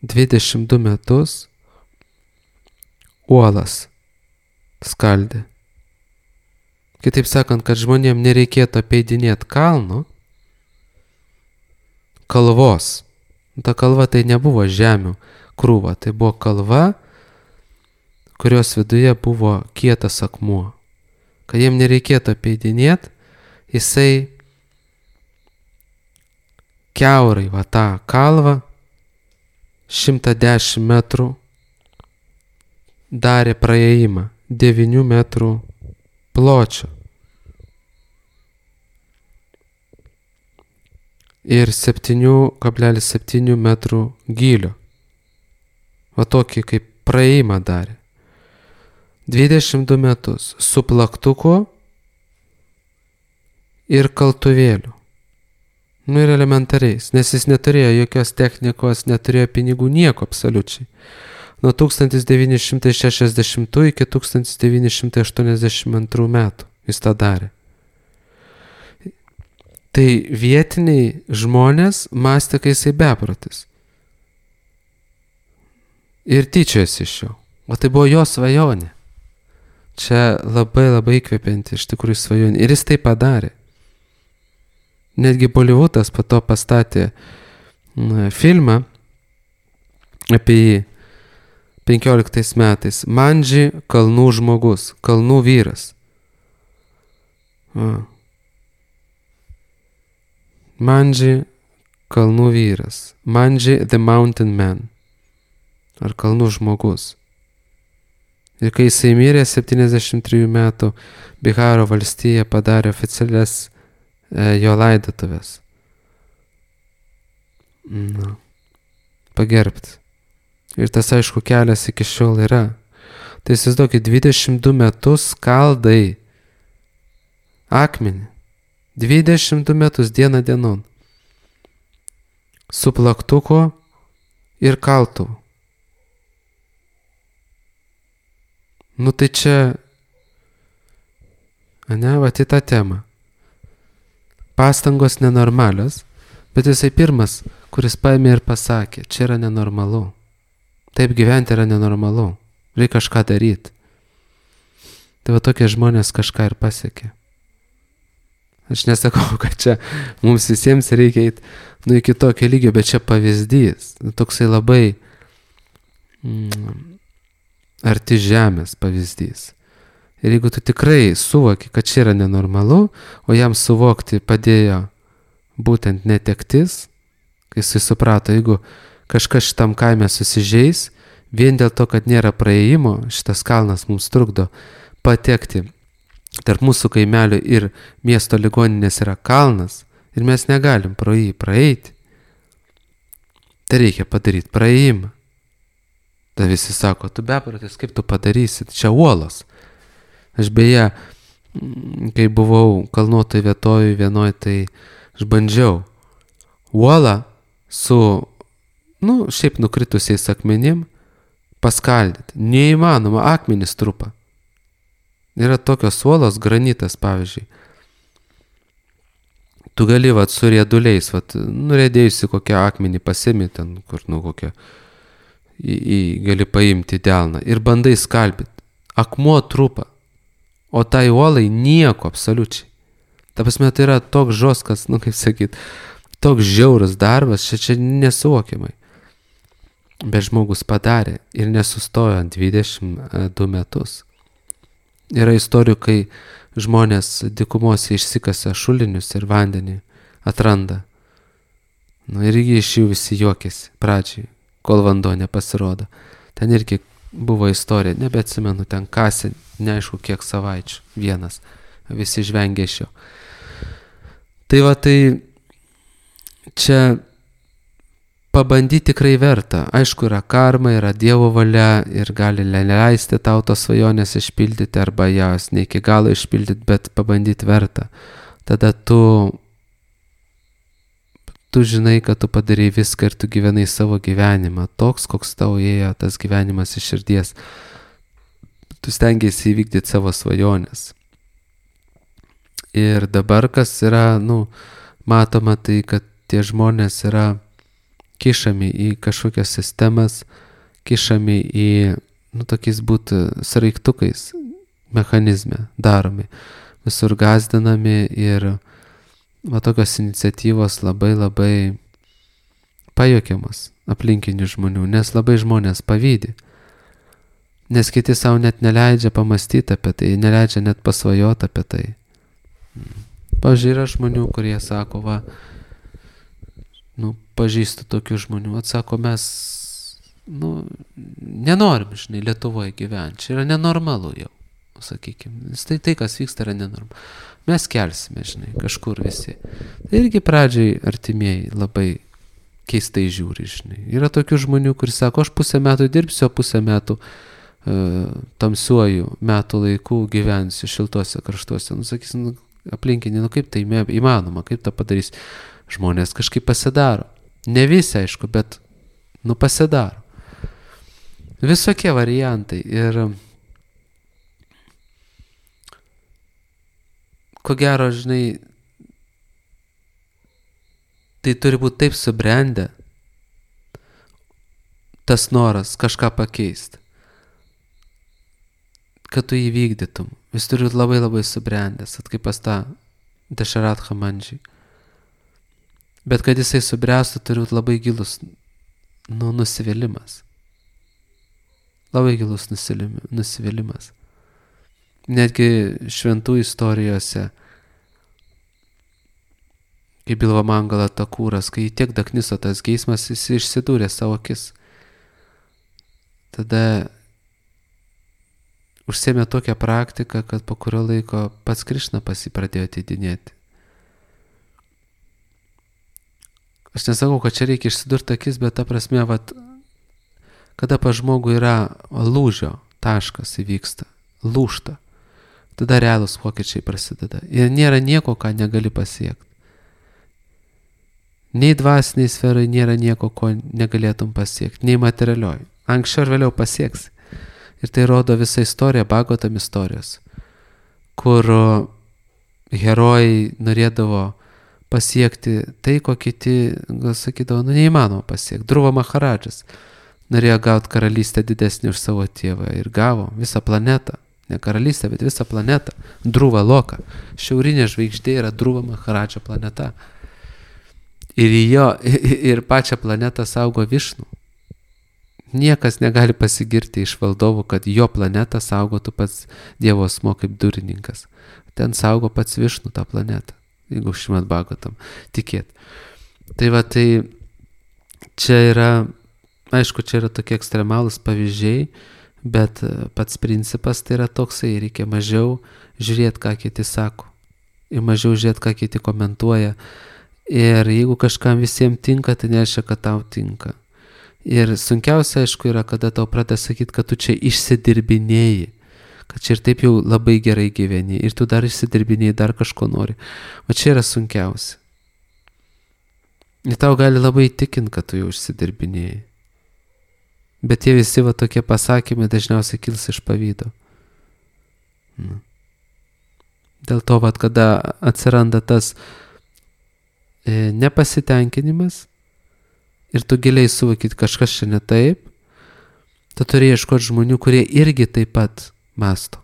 Speaker 1: dvidešimt du metus uolas skaldė. Kitaip sakant, kad žmonėm nereikėtų apeidinėti kalno, kalvos. Ta kalva tai nebuvo žemių krūva, tai buvo kalva, kurios viduje buvo kietas akmuo. Kad jiem nereikėtų apeidinėti, jisai kiaurai va tą kalvą šimtą dešimt metrų darė praėjimą, devynių metrų pločio ir septyni kablelis septyni metrų gylio. Va tokį kaip praėjimą darė. dvidešimt du metus su plaktuku ir kaltuvėliu. Nu ir elementariais, nes jis neturėjo jokios technikos, neturėjo pinigų, nieko absoliučiai. Nuo tūkstantis devyni šimtai šešiasdešimtų iki tūkstantis devyni šimtai aštuoniasdešimt antrų metų jis tą darė. Tai vietiniai žmonės mąstė, kai jisai beprotis. Ir tyčiojosi iš jo. O tai buvo jo svajonė. Čia labai labai įkvepianti iš tikrųjų svajonė. Ir jis tai padarė. Netgi Bolivudas po to pastatė na, filmą apie jį penkioliktais metais. Mandži kalnų žmogus, kalnų vyras. A. Mandži kalnų vyras. Mandži the mountain man. Ar kalnų žmogus. Ir kai jisai mirė septyniasdešimt trijų metų, Biharo valstija padarė oficialias e, jo laidotuvės. Na, pagerbti. Ir tas, aišku, kelias iki šiol yra. Tai įsivaizduokit, dvidešimt du metus skaldai akmenį. dvidešimt du metus dieną dienon. Su plaktuku ir kaltuvu. Nu tai čia, ane, va į tą temą. Pastangos nenormalios, bet jisai pirmas, kuris paėmė ir pasakė, čia yra nenormalu. Taip gyventi yra nenormalu. Reikia kažką daryti. Tai va tokie žmonės kažką ir pasiekė. Aš nesakau, kad čia mums visiems reikia eiti nu, iki tokio lygio, bet čia pavyzdys. Toksai labai mm, arti žemės pavyzdys. Ir jeigu tu tikrai suvoki, kad čia yra nenormalu, o jam suvokti padėjo būtent netektis, kai jisai suprato, jeigu kažkas šitam kaime susižeis, vien dėl to, kad nėra praėjimo, šitas kalnas mums trukdo patekti. Tarp mūsų kaimelių ir miesto ligoninės yra kalnas ir mes negalim pro jį praeiti. Tai reikia padaryti praėjimą. Tai visi sako, tu beprotis, kaip tu padarysi, čia uolos. Aš beje, kai buvau kalnuotoj vietovoj vienoj, tai aš bandžiau uolą su, nu, šiaip nukritusiais akmenim paskaldyti. Neįmanoma, akmenys trupa. Yra tokios uolos, granitas, pavyzdžiui. Tu gali, vat, su rieduliais, vat, nurėdėjusi kokią akmenį pasimi ten, kur, nu, kokią, į, į, gali paimti delną ir bandai skalbyti. Akmuo trupa, o tai uolai nieko absoliučiai. Ta prasme, tai yra toks žoskas, nu, kaip sakyt, toks žiaurus darbas, čia čia nesuvokiamai. Bet žmogus padarė ir nesustojo ant dvidešimt du metus. Yra istorijų, kai žmonės dykumose išsikasa šulinius ir vandenį atranda. Nu, ir iš jų visi juokėsi pradžiai, kol vanduo nepasirodo. Ten irgi buvo istorija, nebeatsimenu, ten kasė, neaišku kiek savaičių, vienas. Visi žvengė iš jo. Tai va, tai čia pabandyti tikrai verta. Aišku, yra karma, yra Dievo valia ir gali leisti tau tos svajonės išpildyti arba jas ne iki galo išpildyti, bet pabandyti verta. Tada tu, tu žinai, kad tu padarai viską ir tu gyvenai savo gyvenimą, toks, koks tau ėjo tas gyvenimas iš širdies. Tu stengiasi įvykdyti savo svajonės. Ir dabar, kas yra, nu, matoma tai, kad tie žmonės yra kišami į kažkokias sistemas, kišami į, nu, tokiais būti sraigtukais mechanizme daromi, visur gazdinami ir va, tokios iniciatyvos labai labai pajuokiamas aplinkinių žmonių, nes labai žmonės pavydi, nes kiti savo net neleidžia pamastyti apie tai, neleidžia net pasvajoti apie tai. Pavyzdžiui, yra žmonių, kurie sako, va, nu, pažįstu tokių žmonių, atsako, mes, nu, nenorim, žinai, Lietuvoje gyventi, čia yra nenormalu jau, sakykime, nes tai, tai, kas vyksta, yra nenormalu. Mes kelsime, žinai, kažkur visi. Tai irgi pradžiai artimieji labai keistai žiūri, žinai. Yra tokių žmonių, kuris sako, aš pusę metų dirbsiu, o pusę metų uh, tamsiuoju metų laikų gyvensiu šiltuose kraštuose. Nu, sakysim, nu, aplinkinį, nu kaip tai įmanoma, kaip tą padarys. Žmonės kažkaip pasidaro. Ne visi, aišku, bet, nu, pasidaro. Visokie variantai. Ir ko gero, žinai, tai turi būti taip subrendę, tas noras kažką pakeisti, kad tu įvykdytum. Jis turi būti labai labai subrendęs, at kaip pas tą Dešarat Hamandžį. Bet kad jisai subręstų, turi būti labai gilus, nu, nusivylimas. Labai gilus nusivylimas. Netgi šventų istorijose, kaip Bilva Mangala Takūras, kai tiek dakniso tas geismas, jis išsidūrė savo akis. Tada užsėmė tokią praktiką, kad po kurio laiko pats Krišna pas jį pradėjo ateidinėti. Aš nesakau, kad čia reikia išsidurti akis, bet ta prasme, vat, kada pa žmogų yra lūžio taškas įvyksta, lūžta, tada realūs pokyčiai prasideda. Ir nėra nieko, ką negali pasiekti. Nei dvasiniai sferai nėra nieko, ko negalėtum pasiekti, nei materialioj. Anksčiau ir vėliau pasieksi. Ir tai rodo visa istorija, Bhagavatam istorijos, kur herojai norėdavo pasiekti tai, ko kiti, gal sakydavo, nu neįmanoma pasiekti. Dhruva Maharadžas norėjo gauti karalystę didesnį už savo tėvą ir gavo visą planetą. Ne karalystę, bet visą planetą. Dhruva Loka. Šiaurinė žvaigždė yra Dhruva Maharadža planeta. Ir jo, ir pačią planetą saugo Višnu. Niekas negali pasigirti iš valdovų, kad jo planetą saugotų pats Dievo asmuo kaip durininkas. Ten saugo pats Višnu tą planetą, jeigu Šrimad Bhagavatam tikėt. Tai va, tai čia yra, aišku, čia yra tokie ekstremalūs pavyzdžiai, bet pats principas tai yra toksai, reikia mažiau žiūrėti, ką kiti sako, ir mažiau žiūrėti, ką kiti komentuoja. Ir jeigu kažkam visiems tinka, tai nereiškia, kad tau tinka. Ir sunkiausia, aišku, yra, kada tau pradeda sakyti, kad tu čia išsidirbinėjai, kad čia ir taip jau labai gerai gyveni, ir tu dar išsidirbinėjai, dar kažko nori. O čia yra sunkiausia. Ir tau gali labai įtikint, kad tu jau užsidirbinėjai. Bet tie visi va tokie pasakymai dažniausiai kils iš pavydo. Nu. Dėl to, va, kada atsiranda tas e, nepasitenkinimas ir tu giliai suvokyt, kažkas čia ne taip, tu turi ieškoti žmonių, kurie irgi taip pat mąsto.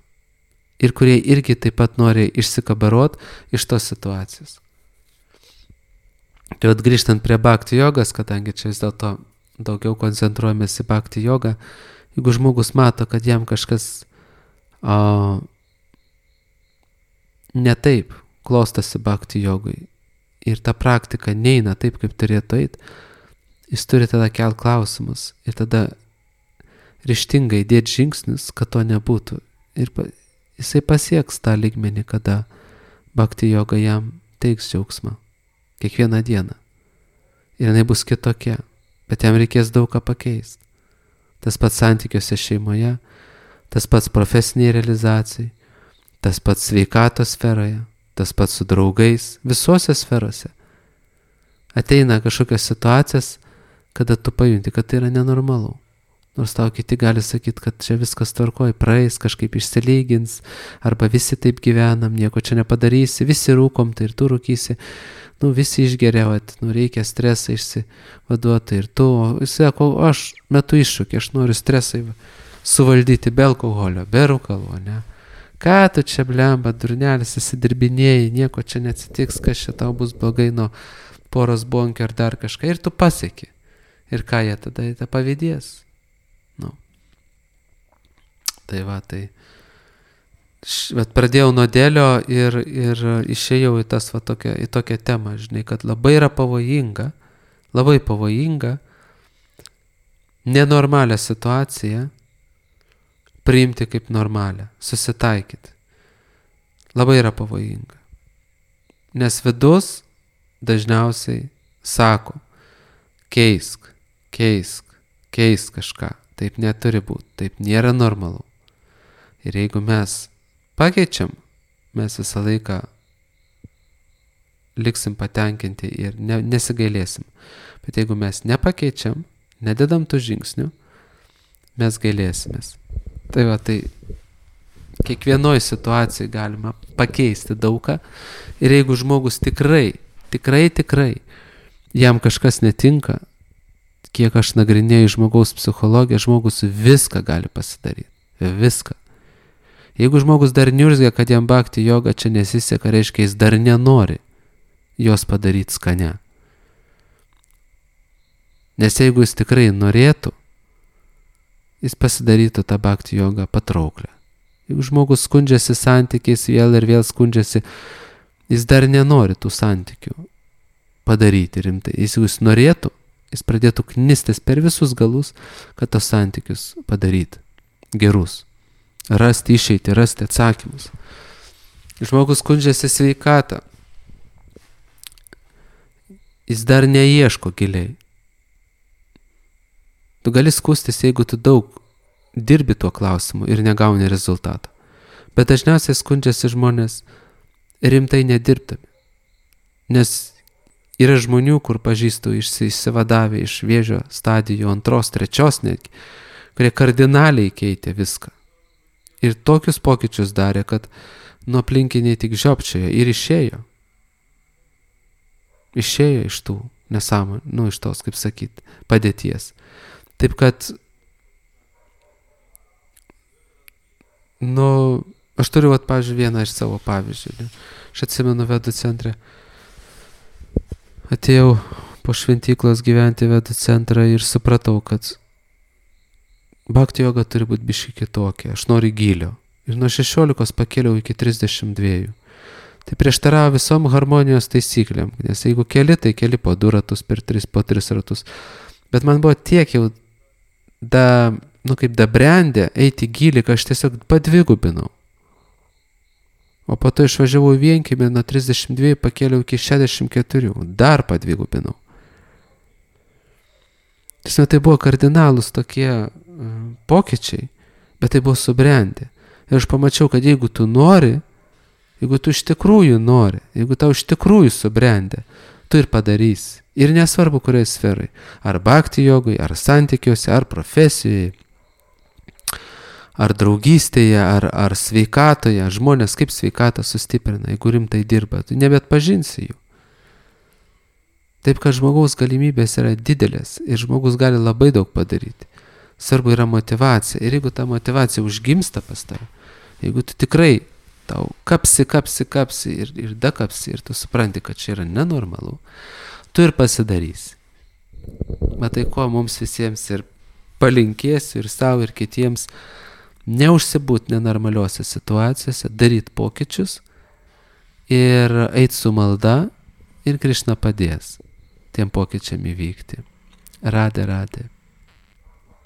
Speaker 1: Ir kurie irgi taip pat nori išsikabarot iš tos situacijos. Tai vat grįžtant prie bhakti jogas, kadangi čia vis dėlto daugiau koncentruojamės į bhakti jogą, jeigu žmogus mato, kad jam kažkas o, ne taip klostosi bhakti jogai ir ta praktika neina taip, kaip turėtų eit, jis turi tada kelt klausimus ir tada ryžtingai dėti žingsnius, kad to nebūtų. Ir pa, jisai pasieks tą lygmenį, kada bhakti joga jam teiks džiaugsmą. Kiekvieną dieną. Ir jinai bus kitokia. Bet jam reikės daug ką pakeisti. Tas pats santykiuose šeimoje, tas pats profesiniai realizacijai, tas pats sveikatos sferoje, tas pats su draugais, visose sferose. Ateina kažkokios situacijas, kada tu pajunti, kad tai yra nenormalu. Nors tau kiti gali sakyti, kad čia viskas tvarkoj, praeis, kažkaip išsilygins, arba visi taip gyvenam, nieko čia nepadarysi, visi rūkom, tai ir tu rūkysi, nu visi išgeriavat, nu reikia stresą išsivaduoti ir tu, jis sako, aš metu iššūkį, aš noriu stresą suvaldyti be alkoholio, be rūkalo, ne? Ką tu čia blemba, durnelis, įsidirbinėjai, nieko čia neatsitiks, kas čia tau bus blogai nuo poros bonkio ar dar kažką, ir tu pasieki. Ir ką jie tada, jie tą pavydės. Nu. Tai va, tai bet pradėjau nuo dėlio ir, ir išėjau į, tas, va, tokią, į tokią temą, žinai, kad labai yra pavojinga, labai pavojinga nenormalią situaciją priimti kaip normalią, susitaikyti. Labai yra pavojinga. Nes vidus dažniausiai sako, keisk, keisk, keisk kažką. Taip neturi būti, taip nėra normalu. Ir jeigu mes pakeičiam, mes visą laiką liksim patenkinti ir ne, nesigailėsim. Bet jeigu mes nepakeičiam, nededam tų žingsnių, mes gailėsimės. Tai va, tai kiekvienoj situacijai galima pakeisti daugą. Ir jeigu žmogus tikrai, tikrai, tikrai jam kažkas netinka, kiek aš nagrinėju žmogaus psichologiją, žmogus viską gali pasidaryti. Viską. Jeigu žmogus dar niurzgia, kad jam bhakti joga čia nesiseka, reiškia, jis dar nenori jos padaryti skane. Nes jeigu jis tikrai norėtų, jis pasidarytų tą bhakti jogą patrauklę. Jeigu žmogus skundžiasi santykiais vėl ir vėl skundžiasi, jis dar nenori tų santykių padaryti rimtai. Jeigu jis norėtų, jis pradėtų knistis per visus galus, kad tos santykius padaryti gerus. Rasti išeitį, rasti atsakymus. Žmogus skundžiasi sveikatą. Jis dar neieško giliai. Tu gali skųstis, jeigu tu daug dirbi tuo klausimu ir negauni rezultato. Bet dažniausiai skundžiasi žmonės rimtai nedirbdami. Nes yra žmonių, kur pažįstu išsivadavę iš vėžio stadijų antros, trečios netgi, kurie kardinaliai keitė viską. Ir tokius pokyčius darė, kad nuo aplinkiniai tik žiopčiojo ir išėjo. Išėjo iš tų nesąmonių, nu iš tos, kaip sakyt, padėties. Taip kad, nu, aš turiu, vat, pavyzdžiui, vieną iš savo pavyzdžių. Ne? Aš atsimenu Vedų centre. Atėjau po šventyklos gyventi Vedų centrą ir supratau, kad bhakti joga turi būti biški kitokia. Aš noriu gylio. Ir nuo šešiolikos pakėliau iki trisdešimt dviejų. Tai prieštaravo visom harmonijos taisyklėm. Nes jeigu keli, tai keli po du ratus, per tris, po tris ratus. Bet man buvo tiek jau da, nu kaip da brendė eiti gylį, kad aš tiesiog padvigubinau. O po to išvažiavau į vienkiemį, nuo trisdešimt dviejų pakėliau iki šešiasdešimt keturių. Dar padvigubinau. Tiesiog tai buvo kardinalūs tokie uh, pokyčiai, bet tai buvo subrendę. Ir aš pamačiau, kad jeigu tu nori, jeigu tu iš tikrųjų nori, jeigu tau iš tikrųjų subrendę, tu ir padarysi. Ir nesvarbu, kurioje sferai. Ar bhakti jogai, ar santykiuose, ar profesijoje, ar draugystėje, ar, ar sveikatoje. Žmonės kaip sveikatą sustiprina, jeigu rimtai dirba, tu nebetpažinsi jų. Taip, kad žmogaus galimybės yra didelės ir žmogus gali labai daug padaryti. Svarbu yra motyvacija. Ir jeigu ta motyvacija užgimsta pas tave, jeigu tu tikrai tau kapsi, kapsi, kapsi ir, ir dakapsi ir tu supranti, kad čia yra nenormalu, tu ir pasidarysi. Matai, ko mums visiems ir palinkėsiu ir savo ir kitiems neužsibūt nenormaliuose situacijose, daryti pokyčius ir eiti su malda ir Krišna padės tiem pokyčiam įvykti. Radė, radė.